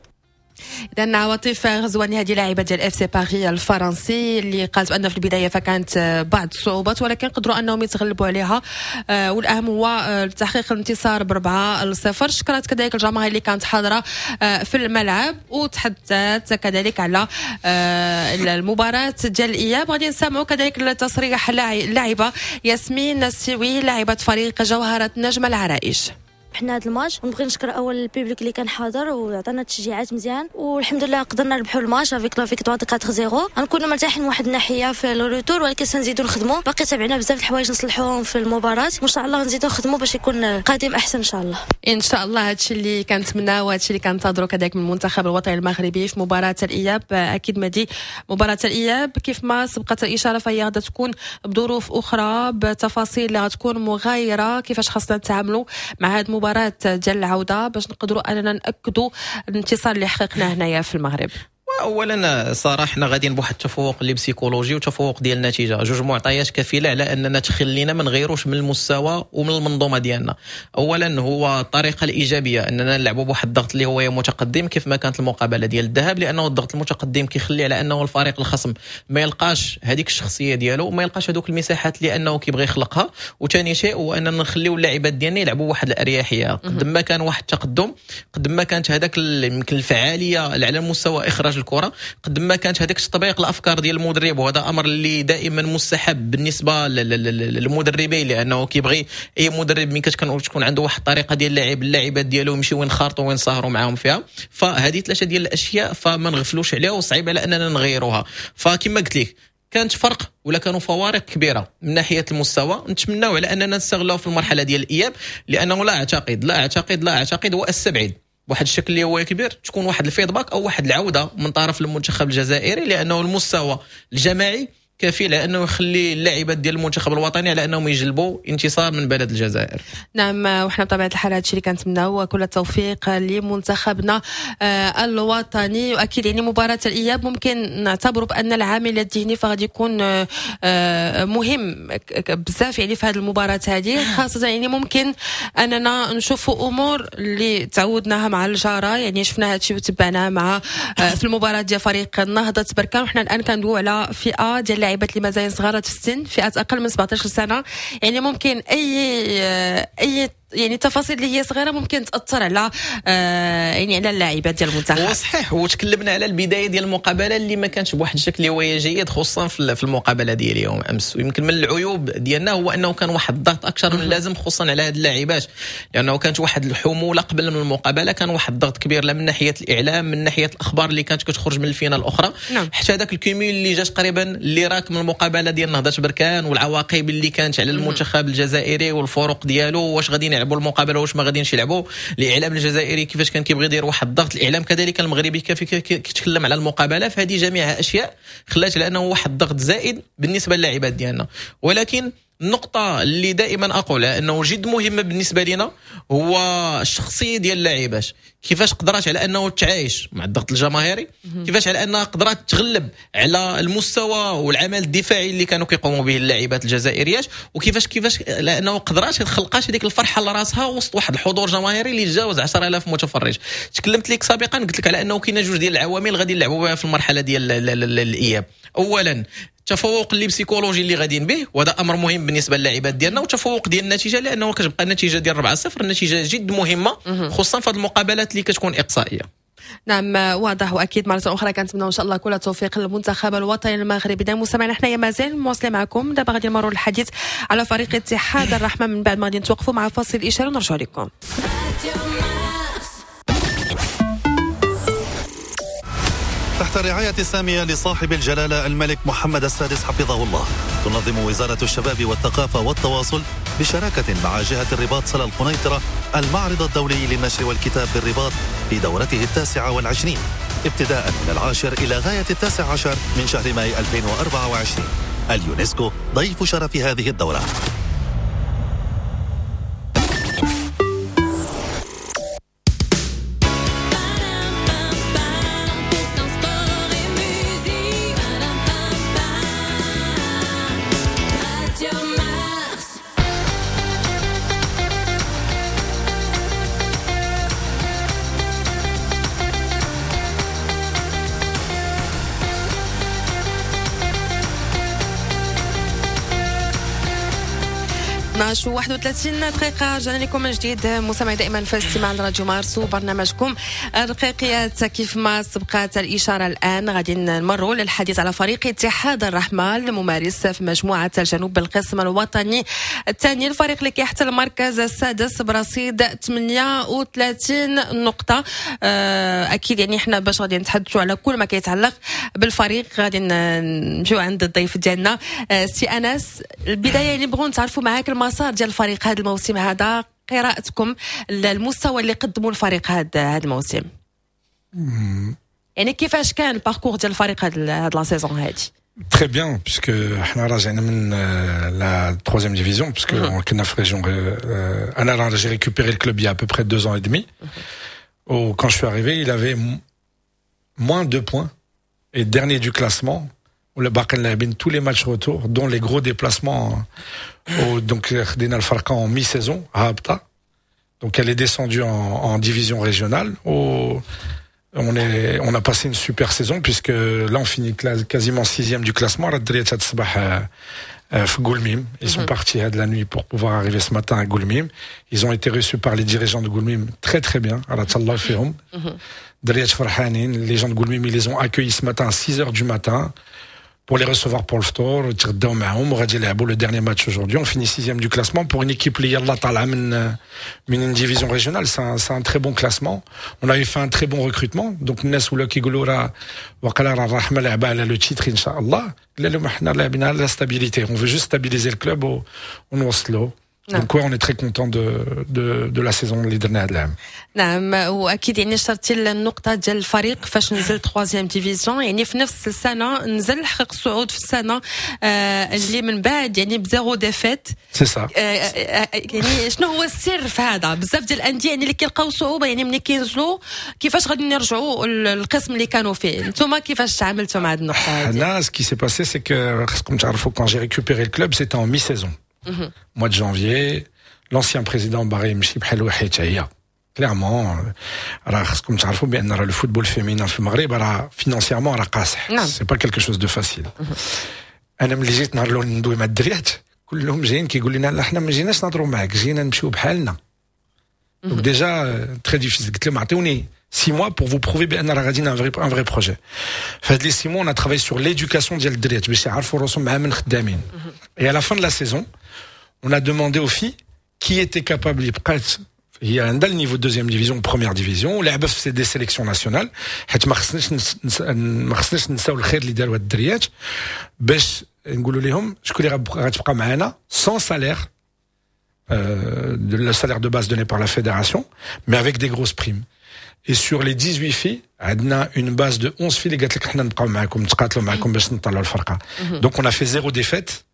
اذا عواطف غزواني، هذه لاعبه ديال FC Paris الفرنسي، اللي قالت بان في البداية فكانت بعض الصعوبات ولكن قدروا انهم يتغلبوا عليها، آه، والاهم هو آه، تحقيق الانتصار بأربعة لصفر. شكرت كذلك الجماهير اللي كانت حاضره آه، في الملعب، وتحدثت كذلك على المباراة ديال الاياب. غادي نسمعوا كذلك التصريح اللاعبه ياسمين السيوي، لاعبه فريق جوهره نجم العرائش. حنا هذا الماتش ونبغي نشكر اول ال public اللي كان حاضر وعطانا تشجيعات مزيان، والحمد لله قدرنا نربحوا ال match avec la victoire de quatre zéro. غنكونوا مرتاحين من واحد الناحية في le retour، ولكن سنزيدوا نخدموا، باقي تابعنا بزاف الحوايج نصلحوهم في المباراه، وان شاء الله نزيدوا نخدموا باش يكون قادم احسن ان شاء الله. ان شاء الله، هادشي اللي كنتمناه وهادشي اللي كنتظروا كذلك من المنتخب الوطني المغربي في مباراة الاياب. اكيد مدي، مباراة الاياب كيف ما سبقت الاشارة فهي غادا تكون بظروف اخرى، بتفاصيل اللي غتكون مغايره. كيفاش خاصنا نتعاملوا مع هذه المباراة ديال العودة باش نقدروا اننا ناكدوا الانتصار اللي حققناه هنايا في المغرب؟ اولا صراحة حنا غاديين بواحد التفوق اللي psychologique وتفوق ديال النتيجه، جوج معطيات كفيله على اننا تخلينا ما نغيروش من المستوى ومن المنظومة ديالنا. اولا هو الطريقة الايجابيه، اننا نلعبوا بواحد الضغط اللي هو متقدم كيف ما كانت المقابلة ديال الذهاب، لانه الضغط المتقدم كيخلي على انه الفريق الخصم ما يلقاش هذيك الشخصية ديالو وما يلقاش هذوك المساحات اللي انه كيبغي يخلقها. وثاني شيء هو اننا نخليو اللاعبات ديالنا يلعبوا واحد الاريحيه، قد ما كان واحد التقدم قد ما كانت هذاك يمكن الفعالية على مستوى اخراج الكره، قد ما كانت هذاك تطبيق الافكار ديال المدرب. وهذا امر اللي دائما مستحب بالنسبة للمدربين، لانه كيبغي اي مدرب من كتكون عنده واحد الطريقة ديال اللعب، اللاعبات ديالو يمشيو ينخرطوا وينسهروا معاهم فيها. فهذه ثلاثة ديال الاشياء فما نغفلوش عليها وصعيب على اننا نغيروها. فكما قلت لك، كانت فرق ولا كانوا فوارق كبيرة من ناحية المستوى، نتمناو على اننا نستغلوها في المرحلة ديال الاياب، لانه لا اعتقد لا اعتقد لا اعتقد واستبعد بواحد الشكل اللي هو كبير تكون واحد ال feedback او واحد العودة من طرف المنتخب الجزائري، لانه المستوى الجماعي كافي لانه يخلي اللاعبات ديال المنتخب الوطني على انهم يجلبوا انتصار من بلد الجزائر. نعم، وحنا بطبيعة الحال هادشي اللي كنتمناو، كل التوفيق لمنتخبنا آه، الوطني. واكيد يعني مباراة الاياب ممكن نعتبر بان العامل الذهني فغادي يكون آه، آه، مهم بزاف يعني في هذه المباراة هذه خاصه، يعني ممكن اننا نشوفوا امور اللي تعودناها مع الجاره، يعني شفنا هادشي وتبعناه مع في المباراة ديال فريق النهضة بركان. وحنا الان كندويو على فئة ديال اللاعبات اللي مازالين صغارات في السن، فئات اقل من سبعطاش سنه، يعني ممكن اي اي يعني التفاصيل اللي هي صغيرة ممكن تاثر على آه يعني على اللاعبات ديال المنتخب. هو صحيح، وتكلمنا على البداية ديال المقابلة اللي ما كانش بواحد الشكل اللي هو جيد، خصوصا في المقابلة ديال اليوم امس. ويمكن من العيوب ديالنا هو انه كان واحد الضغط اكثر من اللازم خصوصا على هاد اللاعبات، لانه كانت واحد الحمولة قبل من المقابلة، كان واحد الضغط كبير لا من ناحية الاعلام، من ناحية الاخبار اللي كانت كتخرج من الفينة الاخرى. نعم. حتى هذاك ال cumul اللي جات تقريبا اللي راك من المقابلة ديال نهضة بركان والعواقب اللي كانت على المنتخب الجزائري والفرق ديالو، واش غادي يلعبوا المقابلة واش ما غادينش يلعبوا. الاعلام الجزائري كيفاش كان كيبغي يدير واحد الضغط، الاعلام كذلك المغربي كيف كيتكلم على المقابلة. فهذه جميع اشياء خلات على انه واحد الضغط زائد بالنسبة للاعبات ديالنا. ولكن النقطة اللي دائما أقولها أنه جد مهمة بالنسبة لنا هو الشخصية ديال اللاعبات، كيفاش قدرات على أنه تعايش مع الضغط الجماهيري، كيفاش على أنها قدرات تغلب على المستوى والعمل الدفاعي اللي كانوا كيقوموا به اللاعبات الجزائريات، وكيفاش كيفاش لأنه قدرات خلقات هذيك الفرحة لراسها وسط واحد الحضور جماهيري اللي تجاوز عشرة آلاف متفرج. تكلمت لك سابقا قلت لك على أنه كاين جوج ديال العوامل غادي نلعبوا بها في المرحلة ديال الإياب. أولا التفوق اللي psychologique اللي غاديين به، وهذا امر مهم بالنسبة للاعبات ديالنا، وتفوق ديال النتيجة، لانه كتبقى النتيجة ديال أربعة صفر النتيجة جد مهمة خصوصا في هذه المقابلات اللي كتكون اقصائيه. نعم واضح، واكيد مرة اخرى كنتمنوا ان شاء الله كل التوفيق للمنتخب الوطني المغربي. دائما مستمعينا حنايا مازال مواصلين معكم. دابا غادي نمروا للحديث على فريق اتحاد الرحمة، من بعد ما غادي نتوقفوا مع فاصل الاشارة ونرجعوا لكم. تحت الرعاية السامية لصاحب الجلالة الملك محمد السادس حفظه الله، تنظم وزارة الشباب والثقافة والتواصل بشراكة مع جهة الرباط سلا القنيطرة المعرض الدولي للنشر والكتاب بالرباط في دورته التاسعة والعشرين ابتداء من العاشر إلى غاية التاسع عشر من شهر ماي ألفين وأربعة وعشرين. اليونسكو ضيف شرف هذه الدورة. اثنا عشر وواحد وثلاثين دقيقة، رجعنا لكم من جديد مستمعي دائما في الاستماع لراديو مارس وبرنامجكم الرقيقيات. كيف ما سبقت الإشارة الآن غادي نمروا للحديث على فريق اتحاد الرحمة الممارس في مجموعة الجنوب بالقسم الوطني الثاني، الفريق اللي كيحتل المركز السادس برصيد ثمانية وثلاثين نقطة. أكيد يعني احنا باش غادي نتحدثوا على كل ما كيتعلق بالفريق غادي نمشيو عند الضيف ديالنا سي أنس. البداية يعني بغوا نتعرفوا معاك المسار ديال الفريق هذا الموسم هذا، قراءتكم للمستوى اللي قدموا الفريق هذا هذا الموسم، يعني كيفاش كان ال parcours ديال الفريق هذا هذا la saison هذه؟ Très bien, puisque احنا راجعنا من la troisième division, puisque كنا في région. انا j'ai récupéré le club il y a à peu près deux ans et demi. Où, quand je suis arrivé, il avait moins deux points et dernier du classement. ولا باقي لاعبين tous les matchs retour, dont les gros déplacements. Au, donc خدينا الفرقة en mi-saison هابطة. Donc elle est descendue en, en division régionale. Au, on est, on a passé une super saison puisque là on finit quasiment sixième du classement. راه الدريات هاد الصباح في Goulmim. Ils sont partis de la nuit pour pouvoir arriver ce matin à Goulmim. Ils ont été reçus par les dirigeants de Goulmim très très bien. راه تهلاو فيهم. دريات فرحانين. Les gens de Goulmim, ils les ont accueillis ce matin à six heures du matin pour les recevoir pour الفطور. تغداو معاهم وغادي يلعبوا le dernier match aujourd'hui. On finit sixième du classement pour une équipe اللي يلاه طالعه من من une division régionale. C'est un, c'est un très bon classement. On avait fait un très bon recrutement. Donc الناس ولاو كيقولوا راه وقال راه الرحمة لعبه على le titre ان شاء الله. لا لا، حنا لاعبين على la stabilité. On veut juste stabiliser le club ونوصلوا. Donc ouais, on est très content de de de la saison اللي درنا هذا العام. نعم، واكيد يعني شرتي النقطة ديال الفريق فاش نزل troisième division، يعني في نفس السنة نزل حقق الصعود في السنة آه اللي من بعد يعني ب zéro défaite. c'est ça. يعني شنو هو السر في هذا؟ بزاف ديال الاندية يعني اللي كيلقاو صعوبة يعني ملي كينزلوا كيفاش غادي نرجعوا للقسم اللي كانوا فيه، انتم كيفاش تعاملتوا مع هذه النقطة هذه؟ là ce qui s'est passé c'est que خصكم تعرفوا quand j'ai récupéré le club c'était en mi-saison. Mois de janvier, l'ancien président باغي يمشي بحال حيت هي clairement راه خصكم تعرفوا بان راه le football féminin في المغرب راه financièrement راه قاصح، c'est pas quelque chose de facile. انا ملي جيت نهار الاول ندوي مع الدريات كلهم جايين كيقول لنا لا حنا ما جيناش نهضروا معاك، جينا نمشيو بحالنا. Donc déjà très difficile. قلت لهم عطيوني six mois pour vous prouver بان راه غاديين un vrai un vrai projet. فهاد les six mois, on a travaillé sur l'éducation ديال الدريات باش يعرفوا راسهم مع من خدامين. Et à la fin de la saison, on a demandé aux filles qui était capable يبقى هي عندها ال niveau deuxième division, première division, ولعبه في des sélections nationales, حيت ما خصناش ما خصناش نساو الخير اللي داروا هاد الدريات, باش نقولوا لهم شكون اللي غتبقى معنا sans salaire, le salaire de base donné par la fédération, mais avec des grosses primes. Et sur les dix-huit filles, عندنا une base de onze filles اللي قالت لك حنا نبقاو معاكم, نتقاتلوا معاكم باش نطلعوا الفرقه. Donc on a fait zéro défaite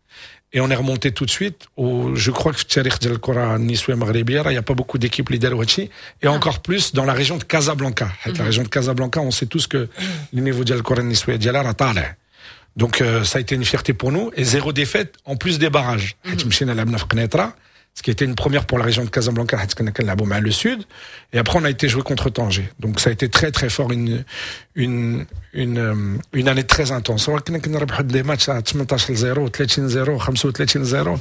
et on est remonté tout de suite. و je crois que في التاريخ ديال الكره النسويه المغربيه راه il y a pas beaucoup d'équipes اللي داروا هادشي, et encore plus dans la région de Casablanca, حيت la région de Casablanca, on sait tous que le niveau ديال الكره النسويه ديالها راه طالع. Donc euh, ça a été une fierté pour nous et zéro défaite en plus des barrages, حيت مشينا لعبنا في قنيطره, ce qui était une première pour la région de Casablanca, حيت كنا كنلعبوا مع le sud, et après on a été jouer contre Tanger. Donc ça a été très très fort, une une une une année très intense. كنا كنربحوا des matchs ثمنطاش صفر, ثلاثين صفر, خمسة وثلاثين صفر.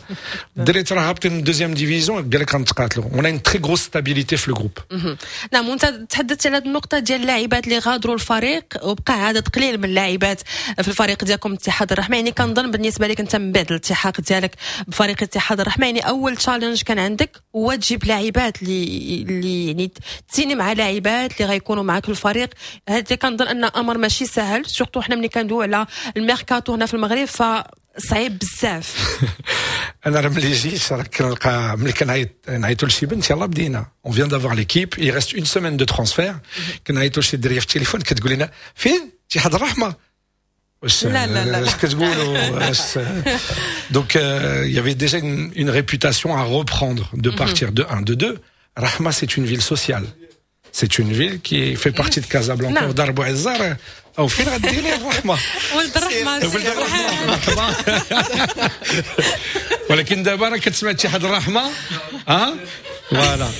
الدراري راه هابطين من deuxième division, قال لك غنتقاتلوا. On a une très grosse stabilité في ال groupe. نعم, وانت تحدثت على النقطه ديال اللاعبات اللي غادروا الفريق وبقى عدد قليل من اللاعبات في الفريق ديالكم اتحاد الرحمه. يعني كنظن بالنسبه لك انت من بعد الالتحاق ديالك بفريق اتحاد الرحمه, يعني اول challenge كان عندك هو تجيب لاعبات اللي اللي يعني تسيني مع لاعبات اللي غيكونوا معك في الفريق. هذا كنظن ان امر ماشي سهل, surtout حنا ملي كندويو على الميركاتو هنا في المغرب فصعيب بزاف. انا راه ملي جيت راه كنلقى ملي كنعيط نعيطوا لشي بنت, يلاه بدينا, on vient d'avoir l'équipe, il reste une semaine de transfert, كنعيطوا لشي دريه في التليفون كتقول لنا فين اتحاد الرحمه؟ واش لا لا لا. اش كتقولوا؟ واش donc il y avait déjà une, une réputation à reprendre, de partir de un, de deux, Rahma, c'est une ville sociale, c'est une ville qui fait partie de Casablanca. نعم. ودار بوعزة او فين غديري الرحمه؟ ولد الرحمه. ولد الرحمه. ولكن دابا راه كتسمع اتحاد الرحمه ها voilà.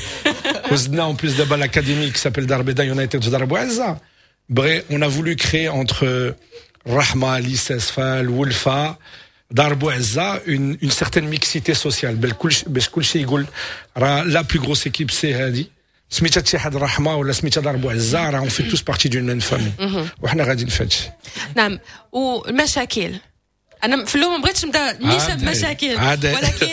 وزدنا en plus دابا l'académie qui s'appelle Dar Beda United في دار بوعزة. Bref, on a voulu créer entre Rahma, Lissesfa, Wolfa, Dar Bouazza, une, une certaine mixité sociale. باش كل شيء يقول راه la plus grosse équipe c'est هادي سميتها اتحاد الرحمه ولا سميتها دار بوعزة, راه on fait tous partie d'une même famille وحنا غاديين في هادشي. نعم, والمشاكل, انا في الاول ما بغيتش نبدا نيشان بمشاكل, ولكن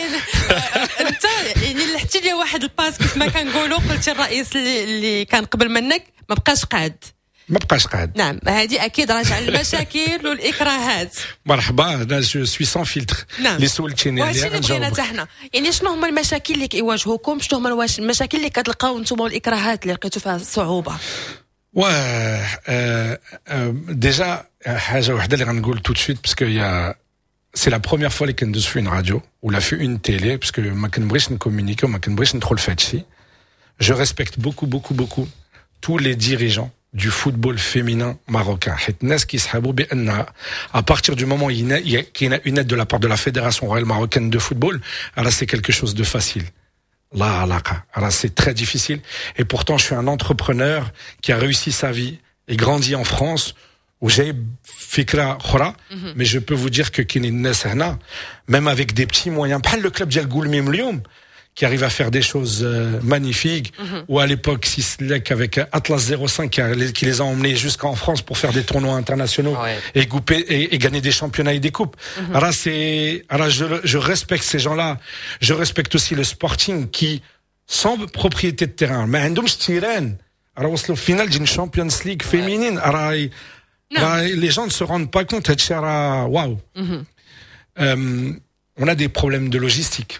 انت يعني لحتي لي واحد ال passe كيف ما كنقولوا, قلتي الرئيس اللي, اللي كان قبل منك ما بقاش قاد. ما بقاش قاد. نعم, هذه اكيد راجع المشاكل والاكراهات. مرحبا, انا je suis sans filtre. نعم. اللي سولتيني عليها اللي بغينا حتى حنا, يعني شنو هما المشاكل اللي كيواجهوكم, شنو هما المشاكل اللي كتلقاو انتم والاكراهات اللي لقيتوا فيها صعوبه؟ واه déjà حاجه وحده اللي غنقول tout de suite, parce que y a c'est la première fois اللي كندوز في une radio ولا في une télé, parce que ما كنبغيش ن communiquer وما كنبغيش ندخل في هادشي. Je respecte beaucoup, beaucoup, beaucoup tous les dirigeants du football féminin marocain. حيت الناس كيسحبوا بان à partir du moment où il y a une aide de la part de la Fédération royale marocaine de football, alors c'est quelque chose de facile. لا علاقة. Alors c'est très difficile. Et pourtant, je suis un entrepreneur qui a réussi sa vie et grandi en France, وجايب فكرة أخرى, mais je peux vous dire que كاينين الناس هنا, même avec des petits moyens, بحال le club ديال Goulmim اليوم, qui arrive à faire des choses euh, magnifiques, mm -hmm. ou à l'époque Sislek avec Atlas zéro cinq qui, a, qui les a emmenés jusqu'en France pour faire des tournois internationaux ouais. et, couper, et, et, gagner des championnats et des coupes. Mm -hmm. Alors c'est, alors je, je respecte ces gens-là. Je respecte aussi le Sporting qui, sans propriété de terrain, ما عندهمش terrain, راه وصلوا finale d'une Champions League féminine. راه les gens ne se rendent pas compte. Waouh. Euh, on a des problèmes de logistique.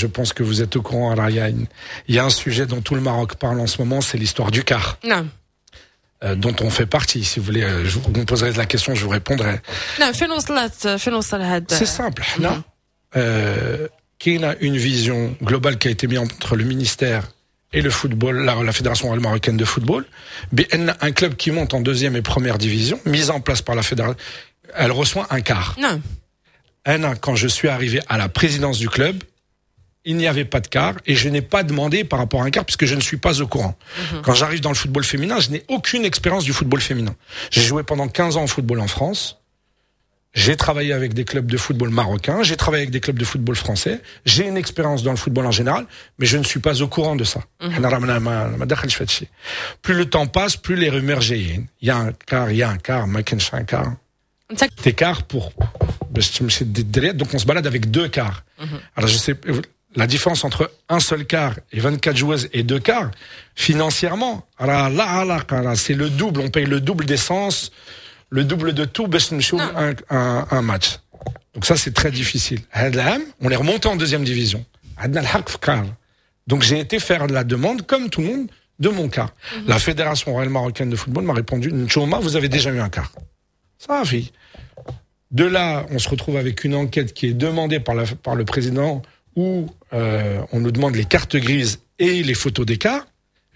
Je pense que vous êtes au courant. Il y, a une, il y a un sujet dont tout le Maroc parle en ce moment, c'est l'histoire du car. نعم. Euh, dont on fait partie. Si vous voulez, je vous me poserez la question, je vous répondrai. نعم, فين وصلت فين وصل هذا؟ C'est simple. حنا euh, كاينة une vision globale qui a été mise entre le ministère et le football, la, la Fédération royale marocaine de football, بأن un club qui monte en deuxième et première division, mise en place par la fédération, elle reçoit un car. نعم. أنا, quand je suis arrivé à la présidence du club, il n'y avait pas de car et je n'ai pas demandé par rapport à un car puisque je ne suis pas au courant. Mm -hmm. Quand j'arrive dans le football féminin, je n'ai aucune expérience du football féminin. J'ai joué pendant quinze ans au football en France. J'ai travaillé avec des clubs de football marocains, j'ai travaillé avec des clubs de football français, j'ai une expérience dans le football en général, mais je ne suis pas au courant de ça. Plus le temps passe, plus les rumeurs جايين. Il y a un car, il y a un car, ما كاينش un car. Des cars pour donc on se balade avec deux cars. Alors je sais la différence entre un seul car et vingt-quatre joueuses et deux cars, financièrement, c'est le double, on paye le double d'essence, le double de tout باش نمشيو un, un, un match. Donc ça, c'est très difficile. هاد العام, on est remonté en deuxième division. عندنا الحق في car. Donc j'ai été faire la demande, comme tout le monde, de mon car. Mm -hmm. La Fédération royale marocaine de football m'a répondu, نتوما, vous avez déjà eu un car. صافي. De là, on se retrouve avec une enquête qui est demandée par, la, par le président où euh, on nous demande les cartes grises et les photos des cars.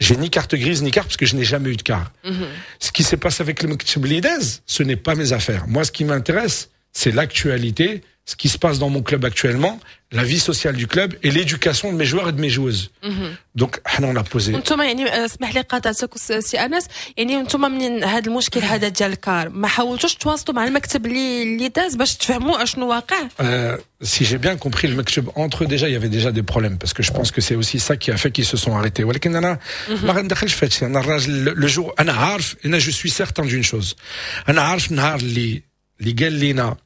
J'ai ni carte grise ni car parce que je n'ai jamais eu de car. Mm -hmm. Ce qui s'est passé avec le المكتب اللي داز, ce n'est pas mes affaires. Moi, ce qui m'intéresse, c'est l'actualité, ce qui se passe dans mon club actuellement, la vie sociale du club et l'éducation de mes joueurs et de mes joueuses. Mm -hmm. Donc, احنا on a posé. انتم يعني اسمح لي قاطعتك سي انس، يعني انتم من هذا المشكل هذا ديال ال car ما حاولتوش تواصلوا مع المكتب اللي اللي داز باش تفهموا اشنو واقع؟ euh, si j'ai bien compris, المكتب entre eux déjà il y avait déjà des problèmes parce que je pense que c'est aussi ça qui a fait qu'ils se sont arrêtés. ولكن انا ما غندخلش في هادشي. انا الراجل le jour انا عارف، انا je suis certain d'une chose، انا عارف النهار اللي اللي قال لنا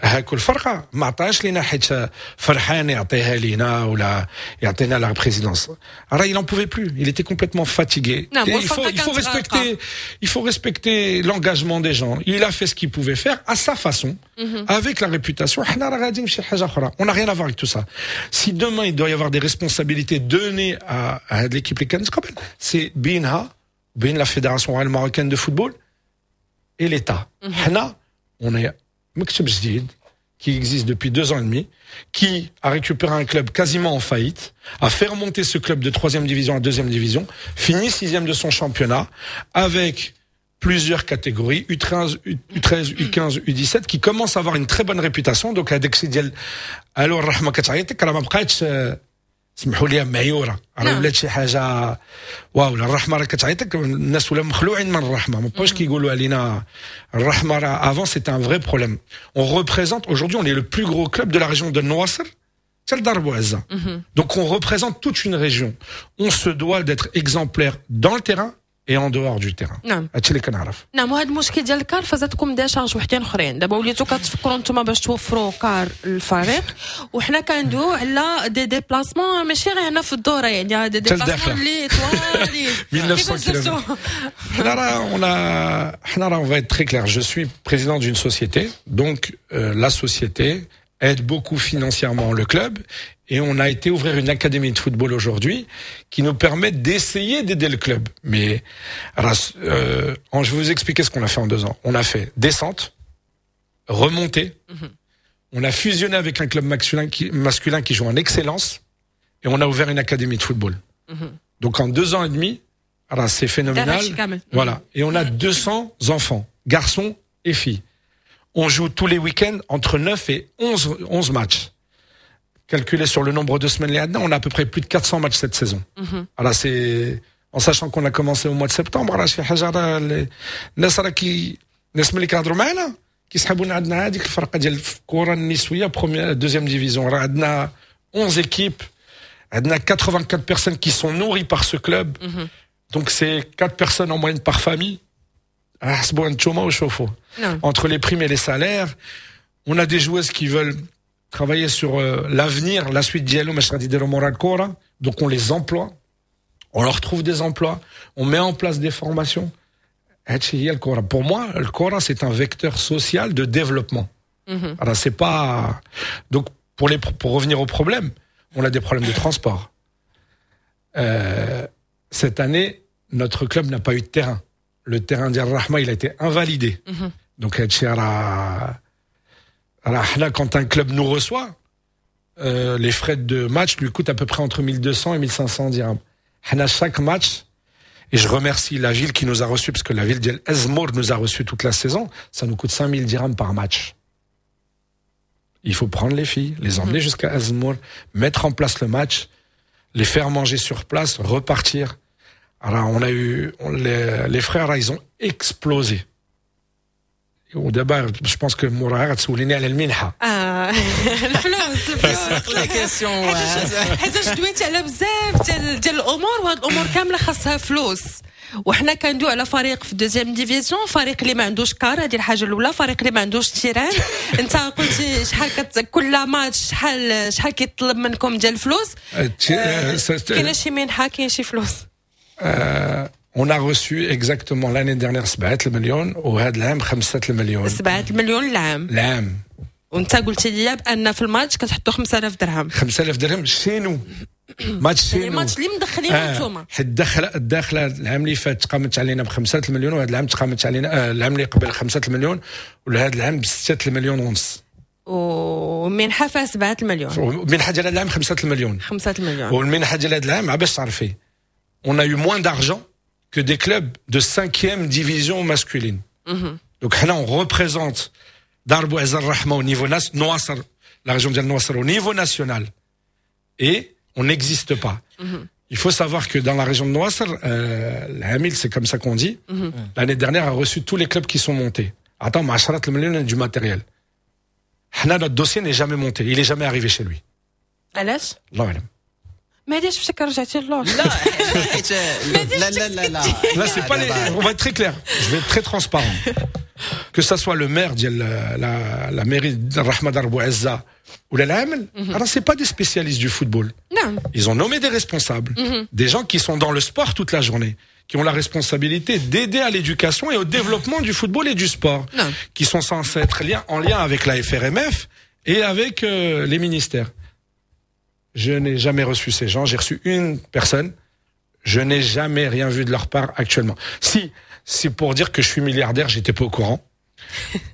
هاكو الفرقه ما عطاش لينا حيت فرحان يعطيها لينا ولا يعطينا la présidence. راه il en pouvait plus, il était complètement fatigué. Non, il faut il faut respecter il faut respecter l'engagement des gens. Il a fait ce qu'il pouvait faire à sa façon, mm -hmm. avec la réputation. حنا راه غاديين فشي حاجه اخرى, on n'a rien à voir avec tout ça. Si demain il doit y avoir des responsabilités données à, à l'équipe اللي كانت قبل, c'est بينها بين la Fédération royale marocaine de football et l'État. حنا on est مكتب جديد qui existe depuis deux ans et demi, qui a récupéré un club quasiment en faillite, a fait remonter ce club de troisième division à deuxième division, finit sixième de son championnat, avec plusieurs catégories, U treize, U treize, U quinze, U dix-sept, qui commence à avoir une très bonne réputation. Donc, هذاك ديال الو الرحمه كتعيطك راه ما بقاتش، سمحوا لي، معيوره، راه ولات شي حاجه واو. الرحمه راه كتعيطك، الناس ولاو مخلوعين من الرحمه، ما بقاوش كيقولوا علينا الرحمه. راه avant c'était un vrai problème. On représente aujourd'hui, on est le plus gros club de la région de Nouaceur حتى لدار بوعزة. Donc on représente toute une région, on se doit d'être exemplaire dans le terrain et en dehors du terrain. نعم هادشي اللي كنعرف. نعم، وهذا المشكل ديال ال car فزادكم des charges وحدين اخرين. دابا وليتو كتفكروا نتوما باش توفروا car الفريق، وحنا كندويو على des déplacements ماشي غير هنا في الدوره، يعني des déplacements اللي طوالين. mille neuf cents kilomètres. حنا راه on a حنا راه on va être très clair, je suis président d'une société, donc euh, la société aide beaucoup financièrement le club et on a été ouvrir une académie de football aujourd'hui qui nous permet d'essayer d'aider le club. Mais euh, je vais vous expliquer ce qu'on a fait en deux ans. On a fait descente, remontée, mm -hmm. on a fusionné avec un club masculin qui, masculin qui joue en excellence et on a ouvert une académie de football. Mm -hmm. Donc en deux ans et demi, راه c'est phénoménal. Voilà. Et on a deux cents enfants, garçons et filles. On joue tous les week-ends entre neuf et onze, onze matchs. Calculé sur le nombre de semaines اللي عندنا, on a à peu près plus de quatre cents matchs cette saison. Mm -hmm. Alors c'est en sachant qu'on a commencé au mois de septembre, راه شي حاجه، راه الناس راه كي الناس ملي كيهضروا معنا كيسحبونا عندنا هذيك الفرقه ديال الكره النسويه première deuxième division. راه عندنا onze équipes, عندنا quatre-vingt-quatre personnes qui sont nourries par ce club. Mm -hmm. Donc c'est quatre personnes en moyenne par famille. حسبوا انتوما وشوفوا. Entre les primes et les salaires, on a des joueuses qui veulent travailler sur euh, l'avenir, la suite ديالهم اش غادي يديروا مورا الكره. Donc on les emploie, on leur trouve des emplois, on met en place des formations. هادشي هي الكره. Pour moi, الكره c'est un vecteur social de développement. Mm -hmm. Alors c'est pas donc pour les pour revenir au problème, on a des problèmes de transport. Euh, cette année, notre club n'a pas eu de terrain. Le terrain ديال الرحمة, il a été invalidé. Mm -hmm. Donc هادشي راه راه حنا quand un club nous reçoit, euh, les frais de match lui coûtent à peu près entre mille deux cents et mille cinq cents dirhams. حنا chaque match, et je remercie la ville qui nous a reçus, parce que la ville ديال Azemmour nous a reçus toute la saison, ça nous coûte cinq mille dirhams par match. Il faut prendre les filles, les emmener mmh. jusqu'à Azemmour, mettre en place le match, les faire manger sur place, repartir. Alors on a eu on, les, les frais, ils ont explosé. ودابا je pense que موراها غتسوليني على المنحه. اه الفلوس الفلوس la question. حيتاش دويتي على بزاف ديال ديال الامور، وهاد الامور كاملة خاصها فلوس، وحنا كندوي على فريق في deuxième division، فريق اللي ما عندوش car، هذه الحاجة الاولى، فريق اللي ما عندوش terrain. انت قلتي شحال كت... كل ماتش شحال شحال كيطلب منكم ديال الفلوس؟ كاينه شي منحه؟ كاين شي فلوس؟ On a reçu exactement l'année dernière سبعة المليون وهذا العام خمسة المليون. سبعة المليون العام؟ العام. وانت قلتي لي بان في الماتش كتحطوا خمسة آلاف درهم. خمسة آلاف درهم chez nous، match chez nous. الماتش اللي مدخلين آه انتوما. حيت الدخلة الداخلة العام اللي فات تقامت علينا بخمسة المليون، وهذا العام تقامت علينا آه العام اللي قبل خمسة المليون، وهذا العام بستة المليون ونص. ومنحه فيها سبعة المليون. المنحة ديال هذا العام خمسة المليون. خمسة المليون. والمنحه ديال هذا العام، باش تعرفي، on a eu moins d'argent que des clubs de cinquième division masculine. Mm -hmm. Donc là, on représente دار بوعزة الرحمة au niveau national, la région ديال النواصر au niveau national. Et on n'existe pas. Mm -hmm. Il faut savoir que dans la région de Nouaceur, euh, العامل, c'est comme ça qu'on dit, mm -hmm. l'année dernière a reçu tous les clubs qui sont montés. عطاهم عشرة المليون du matériel. حنا notre dossier n'est jamais monté, il est jamais arrivé chez lui. علاش؟ الله أعلم. ما هاديش باش رجعتي للور. لا حيت لا لا لا لا. Là, c'est pas les... On va être très clair. Je vais être très transparent. Que ça soit le maire ديال la, la mairie de الرحمة دار بوعزة ولا العامل, alors c'est pas des spécialistes du football. نعم. Ils ont nommé des responsables, des gens qui sont dans le sport toute la journée, qui ont la responsabilité d'aider à l'éducation et au développement du football et du sport, نعم. qui sont censés être lien, en lien avec la F R M F et avec euh, les ministères. Je n'ai jamais reçu ces gens. J'ai reçu une personne. Je n'ai jamais rien vu de leur part actuellement. Si, c'est pour dire que je suis milliardaire, j'étais pas au courant.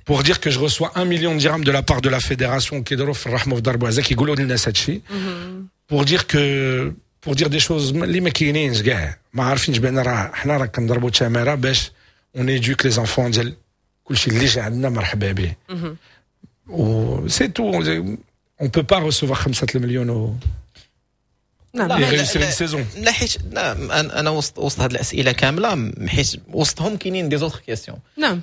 Pour dire que je reçois un million de dirhams de la part de la fédération كيديروا في الرحمة في دار بوعزة كيقولوا للناس هادشي. Pour dire que pour dire des choses اللي ما كاينينش كاع، ما عارفينش بان راه حنا راه كنضربوا تماره باش on éduque les enfants ديال كلشي، اللي جا عندنا مرحبا به. و c'est tout. On peut pas recevoir خمسة المليون و نعم et réussir une saison. لا حيت لا انا أنا وسط وسط هذه الاسئلة كامله، حيت وسطهم كاينين des autres questions. نعم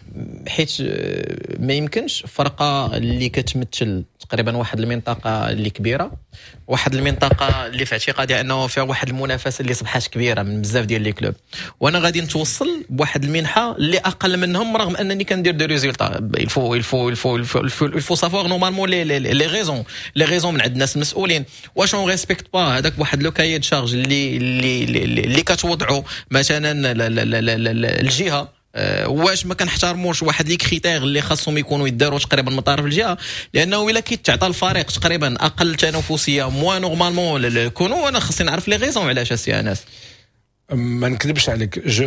حيت آه، ما يمكنش فرقه اللي كتمثل تقريبا واحد المنطقة اللي كبيره، واحد المنطقة اللي في اعتقادي انه فيها واحد المنافسة اللي صبحات كبيرة من بزاف ديال les clubs، وانا غادي نتوصل بواحد المنحة اللي اقل منهم رغم انني كندير des résultats. il faut il faut il faut il faut savoir normalement les les raisons les raisons من عند الناس المسؤولين. واش on respecte pas هذاك واحد le cahier des charges اللي اللي اللي, اللي كتوضعوا مثلا الجهه؟ آه، واش ما كنحترموش واحد les critères اللي خاصهم يكونوا يداروا تقريبا من طرف الجهه؟ لانه الا كيتعطى الفريق تقريبا اقل تنافسية moins normalement كونوا، انا خاصني نعرف les raisons علاش السي انس. ما نكذبش عليك، je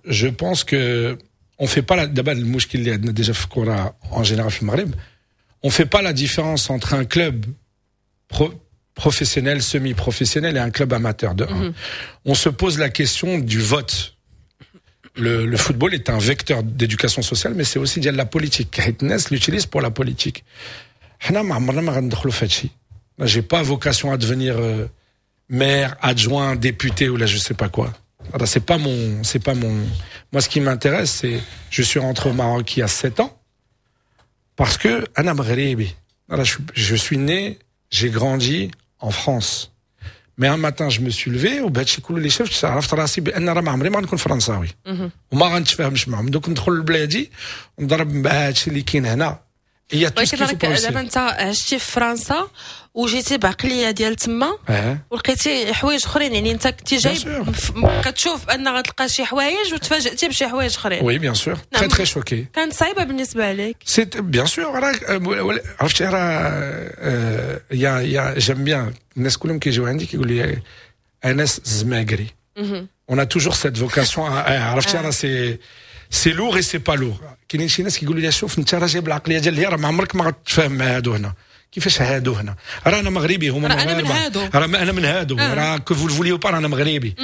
je pense que on fait pas دابا المشكل اللي عندنا déjà في الكره en général في المغرب، on fait pas la différence entre un club pro professionnel, semi-professionnel et un club amateur de un. Mm -hmm. On se pose la question du vote. Le, le football est un vecteur d'éducation sociale, mais c'est aussi ديال la politique. حيت الناس l'utilise pour la politique. حنا ما عمرنا ما غندخلوا في هادشي. J'ai pas vocation à devenir euh, maire, adjoint, député ولا je sais pas quoi. C'est pas mon, c'est pas mon. Moi, ce qui m'intéresse, c'est, je suis rentré au Maroc il y a sept ans parce que أنا مغربي. Je, je suis né, j'ai grandi en France. Mais un matin, je me suis levé وبهادشي كله اللي شفت عرفت راسي بان راه ما عمري ما غنكون فرنساوي وما غنتفاهمش معهم، donc ندخل لبلادي ونضرب مع هادشي اللي كاين هنا. هي ولكن راك دابا انت عشتي في فرنسا وجيتي بعقلية ديال تما أه. ولقيتي حوايج اخرين، يعني انت كنتي جاي كتشوف ان غتلقى شي حوايج وتفاجئتي بشي حوايج اخرين. Oui, bien sûr, très très choqué. كانت صعيبة بالنسبة لك؟ c'est bien sûr. راه عرفتي راه y a y a j'aime bien الناس كلهم كيجيو عندي كيقول لي انس زماكري. On a toujours cette vocation، عرفتي، راه c'est c'est lourd et c'est pas lourd. كاينين شي ناس كيقولوا لي شوف انت راه جايب العقلية ديال راه ما عمرك ما غتفاهم مع هادو هنا. كيفاش هادو هنا؟ راه انا مغربي، هما راه انا من هادو. راه انا من هادو، راه que vous le vouliez ou pas انا مغربي.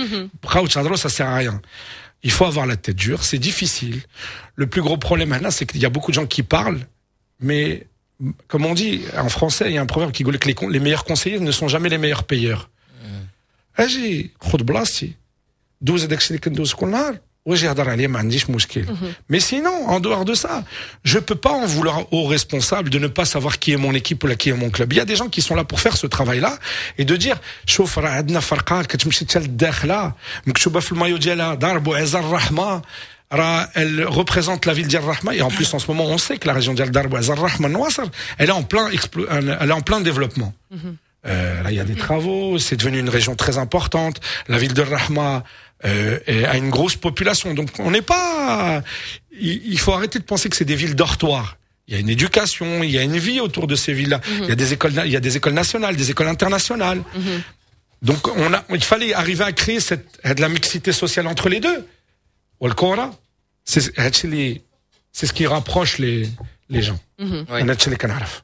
بقاو تهضروا، ça sert à rien. Il faut avoir la tête dure, c'est difficile. Le plus gros problème maintenant, c'est qu'il y a beaucoup de gens qui parlent, mais comme on dit en français, il y a un proverbe qui dit que les, les meilleurs conseillers ne sont jamais les meilleurs payeurs. اجي خذ بلاصتي، دوز هذاك الشيء اللي كندوز كل نهار. واجي يهضر عليا ما عنديش مشكل. Mais sinon, en dehors de ça, je peux pas en vouloir aux responsables de ne pas savoir qui est mon équipe ولا qui est mon club. Il y a des gens qui sont là pour faire ce travail-là et de dire شوف راه عندنا فرقه كتمشي حتى للداخله مكتوبه في المايو ديالها دار بوعزة الرحمه راه elle représente la ville ديال الرحمه. Et en plus, en ce moment, on sait que la région ديال دار بوعزة الرحمه النواصر, elle est en plein elle est en plein développement. Mm -hmm. euh, là, il y a des travaux, c'est devenu une région très importante. La ville de Rahma euh, a une grosse population. Donc on n'est pas, il, il faut arrêter de penser que c'est des villes dortoirs. Il y a une éducation, il y a une vie autour de ces villes-là. Mm -hmm. Il y a des écoles, il y a des écoles nationales, des écoles internationales. Mm -hmm. Donc on a, il fallait arriver à créer cette, de la mixité sociale entre les deux. والكرة, c'est c'est ce qui rapproche les les gens. انا هادشي اللي كنعرف.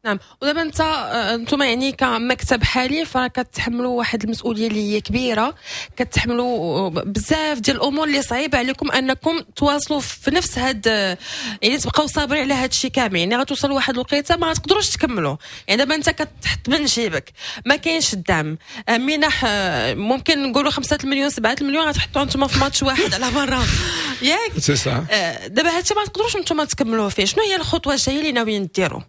نعم ودابا انت انتم يعني كمكتب حالي فكتحملوا واحد المسؤوليه اللي هي كبيره كتحملوا بزاف ديال الامور اللي صعيبه عليكم انكم تواصلوا في نفس هاد يعني تبقاو صابرين على هاد الشيء كامل يعني غتوصلوا واحد الوقيته ما غتقدروش تكملوا يعني دابا انت كتحط من جيبك ما كاينش الدعم منح ممكن نقولوا خمسة المليون سبعة المليون غتحطوا انتم في ماتش واحد على برا ياك c'est ça. دابا هادشي ما تقدروش انتم تكملوه فيه شنو هي الخطوه الجايه اللي ناويين ديروا؟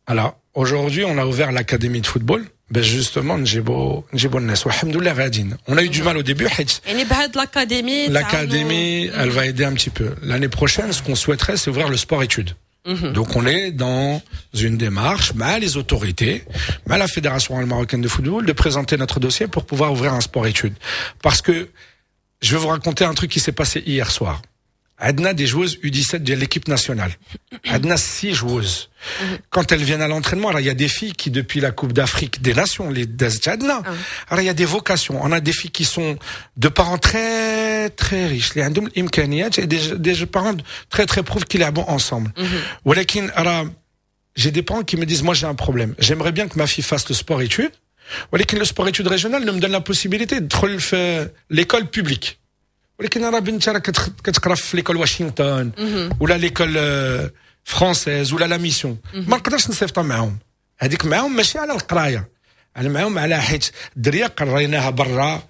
Alors, aujourd'hui, on a ouvert l'académie de football. Ben justement, نجيبو نجيبو الناس والحمد لله غاديين. On a eu du mal au début حيت يعني بهاد l'académie L'académie, elle va aider un petit peu. L'année prochaine, ce qu'on souhaiterait, c'est ouvrir le sport-études. Donc on est dans une démarche, مع les autorités, مع la Fédération marocaine de football, de présenter notre dossier pour pouvoir ouvrir un sport-études. Parce que je vais vous raconter un truc qui s'est passé hier soir. عندنا des joueuses U dix-sept de l'équipe nationale. عندنا six joueuses. Quand elles viennent à l'entraînement, il y a des filles qui, depuis la Coupe d'Afrique des Nations, اللي دازت عندنا, alors il y a des vocations. On a des filles qui sont de parents très, très riches. اللي عندهم الإمكانيات et des, des parents très, très pauvres qui لعبوا ensemble. ولكن راه j'ai des parents qui me disent, moi j'ai un problème. J'aimerais bien que ma fille fasse le sport études. ولكن le sport études régional ne me donne la possibilité de في l'école publique. ولكن راه بنتي راه كتقرا في l'école Washington ولا l'école française ولا la mission ما نقدرش نصيفطها معاهم هذيك معاهم ماشي على القرايه انا معاهم على حيت الدريه قريناها برا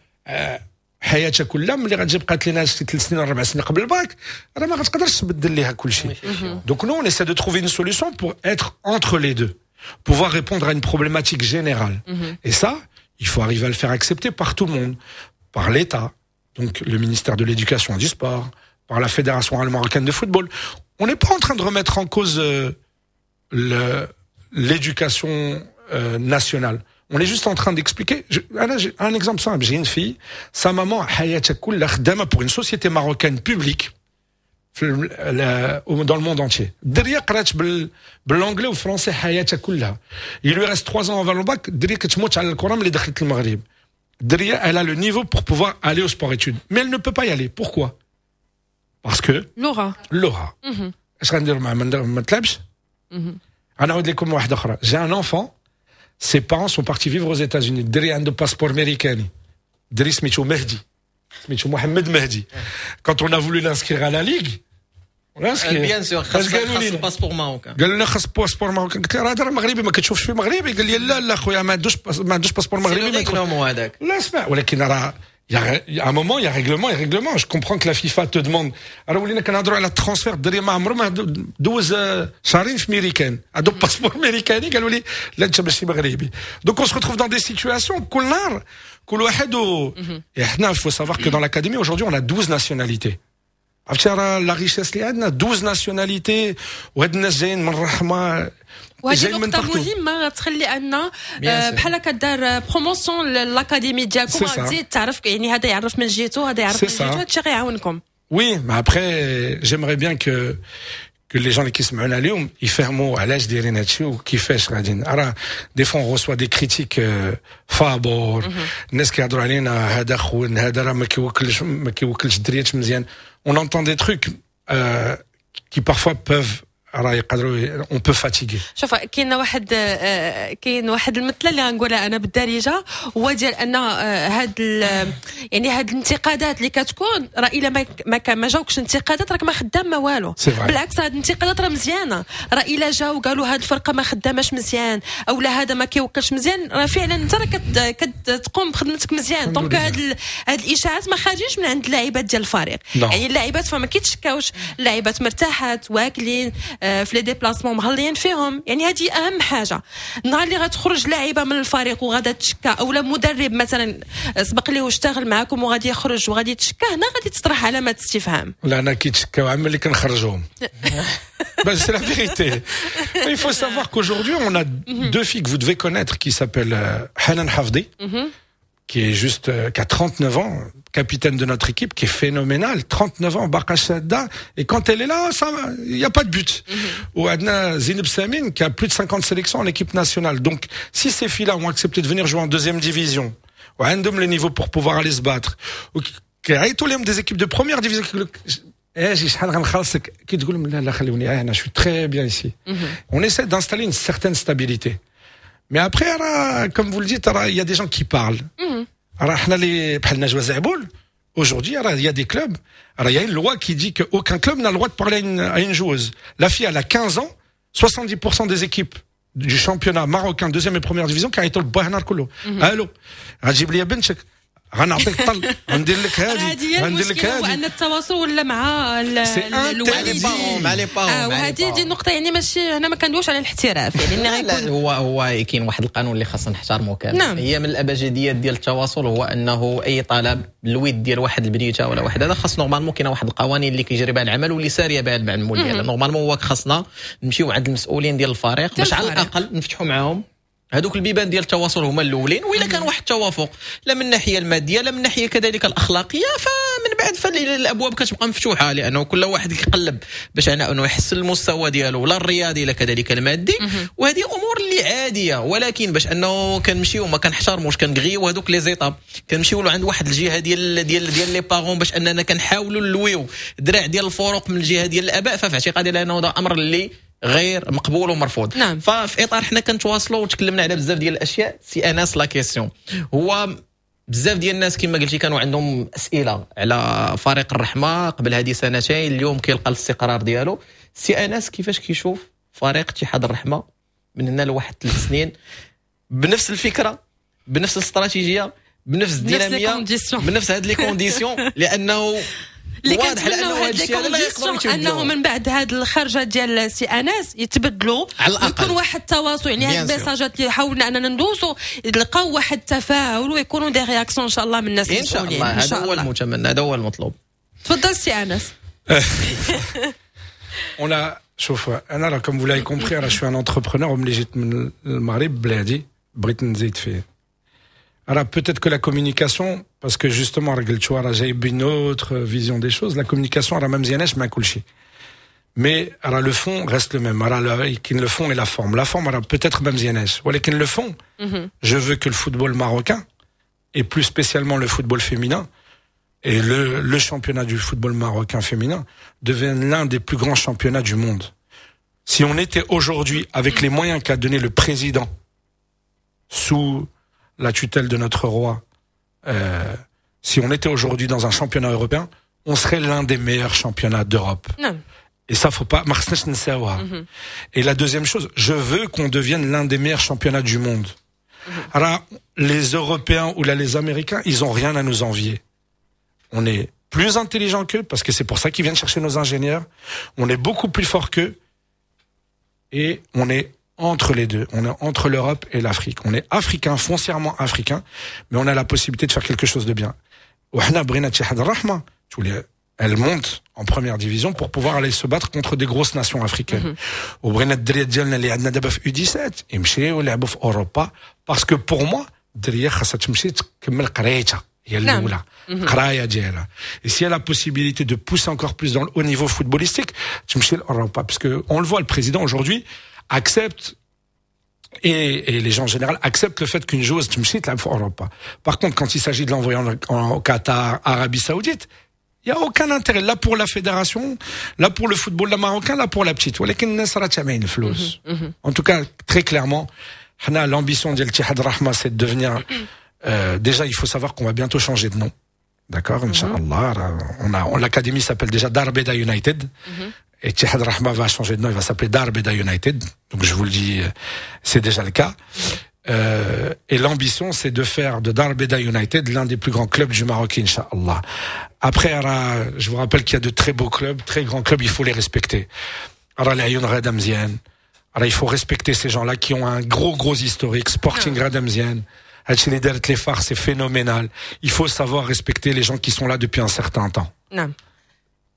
حياتها كلها ملي غتجي بقات لنا شي ثلاث سنين ولا اربع سنين قبل الباك راه ما غتقدرش تبدل ليها كل شيء. Donc nous, on essaie de trouver une solution pour être entre les deux, pouvoir répondre à une problématique générale. Et ça, il faut arriver à le faire accepter par tout le monde, par l'État, donc le ministère de l'Éducation et du Sport, par la Fédération marocaine de football. On n'est pas en train de remettre en cause euh, l'éducation euh, nationale. On est juste en train d'expliquer. J'ai un exemple simple. J'ai une fille, sa maman, pour une société marocaine publique, dans le monde entier. الدرية قرات بال anglais و français حياتها كلها. Il lui reste trois ans avant le bac. الدرية كتموت على الكرة ملي دخلت المغرب. الدرية, elle a le niveau pour pouvoir aller au sport études. Mais elle ne peut pas y aller. Pourquoi? Parce que اللغة. اللغة. اش غندير معاه ما تلعبش؟ غنعاود لكم واحدة أخرى. J'ai un enfant, ses parents sont partis vivre aux États-Unis. الدري عنده passeport américain. الدري سميتو مهدي. سميتو محمد مهدي. Quand on a voulu l'inscrire à la ligue, on l'a inscrit. Bien sûr, خاص خاص passeport marocain. قالوا لنا خاص passeport marocain. قلت له هذا راه مغربي ما كتشوفش فيه مغربي قال لي لا لا خويا ما عندوش ما عندوش passeport مغربي. ما هذاك. لا اسمع ولكن راه Il y, a, il y a un moment, il y a règlement et règlement. Je comprends que la FIFA te demande. راه ولينا كنهضروا على ال transfert الدري ما عمره ما دوز شهرين في ميريكان عنده passeport امريكاني قالوا لي لا انت ماشي مغربي. Donc on se retrouve dans des situations كل نهار كل واحد و احنا il faut savoir que dans l'académie, aujourd'hui, on a douze nationalités. عرفتي راه la richesse اللي عندنا douze nationalités وهاد الناس جايين من الرحمه وهذه نقطة مهمة غتخلي أن بحال كدار promotion l'académie ديالكم غتزيد تعرف يعني هذا يعرف من جهته هذا يعرف من جهته هذا الشيء غيعاونكم. Oui, mais après, j'aimerais bien que que les gens اللي كيسمعونا اليوم يفهموا علاش دايرين هادشي وكيفاش غاديين. راه des fois on reçoit des critiques فابور الناس كيهضروا علينا هذا خون هذا راه ما كيوكلش ما كيوكلش الدريات مزيان. On entend des trucs euh, qui parfois peuvent راه يقدروا on peut fatiguer. شوف، كاين واحد آه، كاين واحد المثل اللي غنقولها انا بالدارجه، هو ديال ان آه، هاد يعني هاد الانتقادات اللي كتكون، راه الا ما ما, ما جاوكش انتقادات راك ما خدام ما والو. بالعكس، هاد الانتقادات راه مزيانه. راه الا جاو قالوا هاد الفرقة ما خداماش مزيان او لا هذا ما كيوكلش مزيان، راه فعلا انت راه كتقوم بخدمتك مزيان. donc هاد هاد الاشاعات ما خارجينش من عند اللاعبات ديال الفريق. يعني اللاعبات فما كيتشكاوش، اللاعبات مرتاحات، واكلين، آه، في les déplacements مهليين فيهم. يعني هذه اهم حاجه. النهار اللي غتخرج لاعبه من الفريق وغادا تشكى، او لا مدرب مثلا سبق ليه واشتغل معاكم وغادي يخرج وغادي يتشكى، هنا غادي تطرح علامات استفهام. لا، انا كيتشكاو عم اللي كنخرجوهم. Ben, c'est la vérité. Il faut savoir qu'aujourd'hui, on a deux filles que vous devez connaître qui s'appellent euh, Hanan Hafdi, qui est juste, euh, qui a trente-neuf ans, capitaine de notre équipe, qui est phénoménale, trente-neuf ans, باقا شادة, et quand elle est là, ça, il n'y a pas de but. Mm -hmm. وعندنا Zineb Samin, qui a plus de cinquante sélections en équipe nationale. Donc, si ces filles-là ont accepté de venir jouer en deuxième division, وعندهم le niveau pour pouvoir aller se battre, ou des équipes de première division, اجي شحال غنخلصك، كي تقول لهم لا لا خلوني انا je suis très bien ici. On essaie d'installer une certaine stabilité. Mais après, comme vous le dites, il y a des gens qui parlent. راه حنا اللي بحال نجوى زعبول، aujourd'hui il y a des clubs, alors il y a une loi qui dit qu'aucun club n'a le droit de parler à une, à une joueuse. La fille, elle a quinze ans, soixante-dix pour cent des équipes du championnat marocain deuxième et première division كيعيطوا لباها النهار كله: الو، غتجيب لي بنتك، غنعطيك طل، غندير لك هذه، غندير لك هذه. وان التواصل ولا مع الوالدين، مع les parents. آه، وهذه دي النقطه، يعني ماشي هنا ما كندويش على الاحتراف يعني. غيكون هو هو كاين واحد القانون اللي خاصنا نحترمه كامل. نعم. هي من الابجديات ديال التواصل هو انه اي طلب الود ديال واحد البنيته ولا واحد هذا، خاص normalement كاين واحد القوانين اللي كيجري بها العمل واللي ساريه بها المعمول ديالها. normalement هو خاصنا نمشيو عند المسؤولين ديال الفريق باش على الاقل نفتحوا معاهم هذوك البيبان ديال التواصل هما الاولين. واذا كان واحد التوافق لا من الناحية المادية لا من الناحية كذلك الاخلاقيه، فمن بعد فالابواب كتبقى مفتوحه، لانه كل واحد كيقلب باش انه يحسن المستوى ديالو، لا الرياضي لا كذلك المادي، وهذه امور اللي عاديه. ولكن باش انه كنمشيو ما كنحترموش، كنغيو هذوك les étapes، كنمشيو عند واحد الجهة ديال ديال ديال les parents باش اننا كنحاولوا نلويو الدراع ديال الفروق من الجهة ديال الاباء، ففي اعتقادي لانه هذا امر اللي غير مقبول ومرفوض. نعم. ففي اطار حنا كنتواصلوا وتكلمنا على بزاف ديال الاشياء، سي انس، la question هو بزاف ديال الناس كما قلتي كانوا عندهم اسئلة على فريق الرحمة قبل هذه سنتين، اليوم كيلقى الاستقرار ديالو. سي انس، كيفاش كيشوف فريق اتحاد الرحمة من هنا لواحد ثلاث سنين بنفس الفكره، بنفس الاستراتيجيه، بنفس الديناميه، بنفس هاد les conditions؟ لانه اللي كنتمناو هاد les conditions انه من بعد هاد الخرجه ديال سي انس يتبدلوا، يكون واحد التواصل، يعني هاد الميساجات اللي حاولنا اننا ندوزو نلقاو واحد التفاعل ويكونوا des réactions ان شاء الله من الناس. ان شاء الله، هذا هو المتمنى، هذا هو المطلوب. تفضل سي انس. On a شوف، انا راه comme vous l'avez compris راه je suis un entrepreneur، وملي جيت من المغرب بلادي بغيت نزيد فيه. Alors peut-être que la communication, parce que justement, j'ai une autre vision des choses, la communication, راه ما مزياناش مع كلشي. Mais راه le fond reste le même. راه le fond et la forme. La forme, peut-être ما مزياناش. ولكن le fond, je veux que le football marocain, et plus spécialement le football féminin, et le, le championnat du football marocain féminin, devienne l'un des plus grands championnats du monde. Si on était aujourd'hui avec les moyens qu'a donné le président sous la tutelle de notre roi, euh, si on était aujourd'hui dans un championnat européen, on serait l'un des meilleurs championnats d'Europe. Et ça, faut pas. Mhm. Et la deuxième chose, je veux qu'on devienne l'un des meilleurs championnats du monde. Mhm. Alors, les Européens ولا les Américains, ils ont rien à nous envier. On est plus intelligent qu'eux, parce que c'est pour ça qu'ils viennent chercher nos ingénieurs. On est beaucoup plus fort qu'eux. Et on est entre les deux. On est entre l'Europe et l'Afrique. On est africain, foncièrement africain, mais on a la possibilité de faire quelque chose de bien. Elle monte en première division pour pouvoir aller se battre contre des grosses nations africaines. وبغينا الدريات ديالنا اللي عندنا دابا في U dix-sept يمشيو يلعبوا في اوروبا، parce que pour moi الدريه خاصها تمشي تكمل قرايتها هي الاولى، قرايه ديالها، et si elle a la possibilité de pousser encore plus dans le haut niveau footballistique تمشي لاوروبا، parce que on le voit, le président aujourd'hui accepte et, et les gens en général acceptent le fait qu'une joueuse تمشي تلعب في اوروبا. Par contre, quand il s'agit de l'envoyer en, en, au Qatar, Arabie Saoudite, Il y a aucun intérêt لا pour la fédération، لا pour le football لا marocain، لا pour la petite، ولكن الناس راه تابعين الفلوس. En tout cas، très clairement، حنا l'ambition ديال اتحاد الرحمه c'est de devenir euh, déjà il faut savoir qu'on va bientôt changer de nom. D'accord، إن شاء الله. On a, l'académie s'appelle déjà Dar Beda United. Et اتحاد الرحمة va changer de nom, il va s'appeler Dar Beda United. Donc je vous le dis, c'est déjà le cas. Euh, et l'ambition, c'est de faire de Dar Beda United l'un des plus grands clubs du Maroc, إن شاء الله. Après, je vous rappelle qu'il y a de très beaux clubs, très grands clubs, il faut les respecter. راه العيون غادا مزيان. Alors il faut respecter ces gens-là qui ont un gros, gros historique. Sporting غادا مزيان. هادشي اللي دارت les FAR، c'est phénoménal. Il faut savoir respecter les gens qui sont là depuis un certain temps. نعم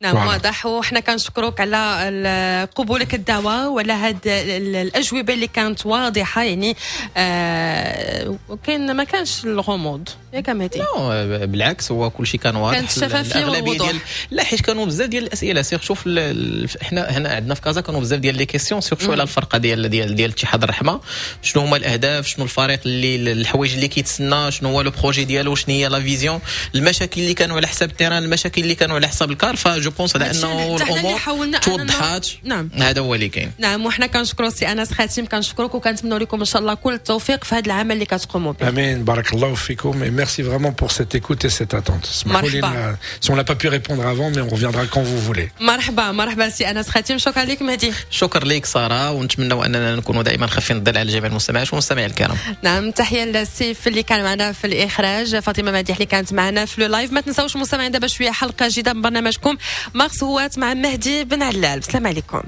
نعم، واضح. وحنا كنشكرك على قبولك الدعوة وعلى هاد الاجوبة اللي كانت واضحه، يعني آه وكاين ما كانش الغموض، ياك مهدي؟ لا بالعكس، هو كل شيء كان واضح. كانت الشفافية والوضوح. ديال لا، حيت كانوا بزاف ديال الاسئله، surtout في حنا هنا عندنا في كازا كانوا بزاف ديال les questions، surtout على الفرقة ديال ديال ديال اتحاد الرحمه، شنو هما الاهداف، شنو الفريق اللي الحوايج اللي كيتسنى، شنو هو le projet ديالو، شنو هي la vision، المشاكل اللي كانوا على حساب ال terrain، المشاكل اللي كانوا على حساب الكار. ف je pense على انه الامور توضحات. نعم هذا هو اللي كاين. نعم، وحنا كنشكروا سي انس خاتم، كنشكرك وكنتمنوا لكم ان شاء الله كل التوفيق في هذا العمل اللي كتقوموا به. امين، بارك الله فيكم et merci vraiment pour cette écoute et cette attente. مرحبا. Si on n'a pas pu répondre avant، mais on reviendra quand vous voulez. مرحبا مرحبا سي انس خاتم، شكرا لك مهدي. شكرا لك ساره، ونتمنوا اننا نكونوا دائما خفين الظل على جميع المستمعات والمستمعين الكرام. نعم، تحية للسيف اللي كان معنا في الاخراج، فاطمة مديح اللي كانت معنا في le live. ما تنساوش مستمعين، دابا شوية حلقة جديدة من برنامجكم مارس هوات مع مهدي بن علال. السلام عليكم.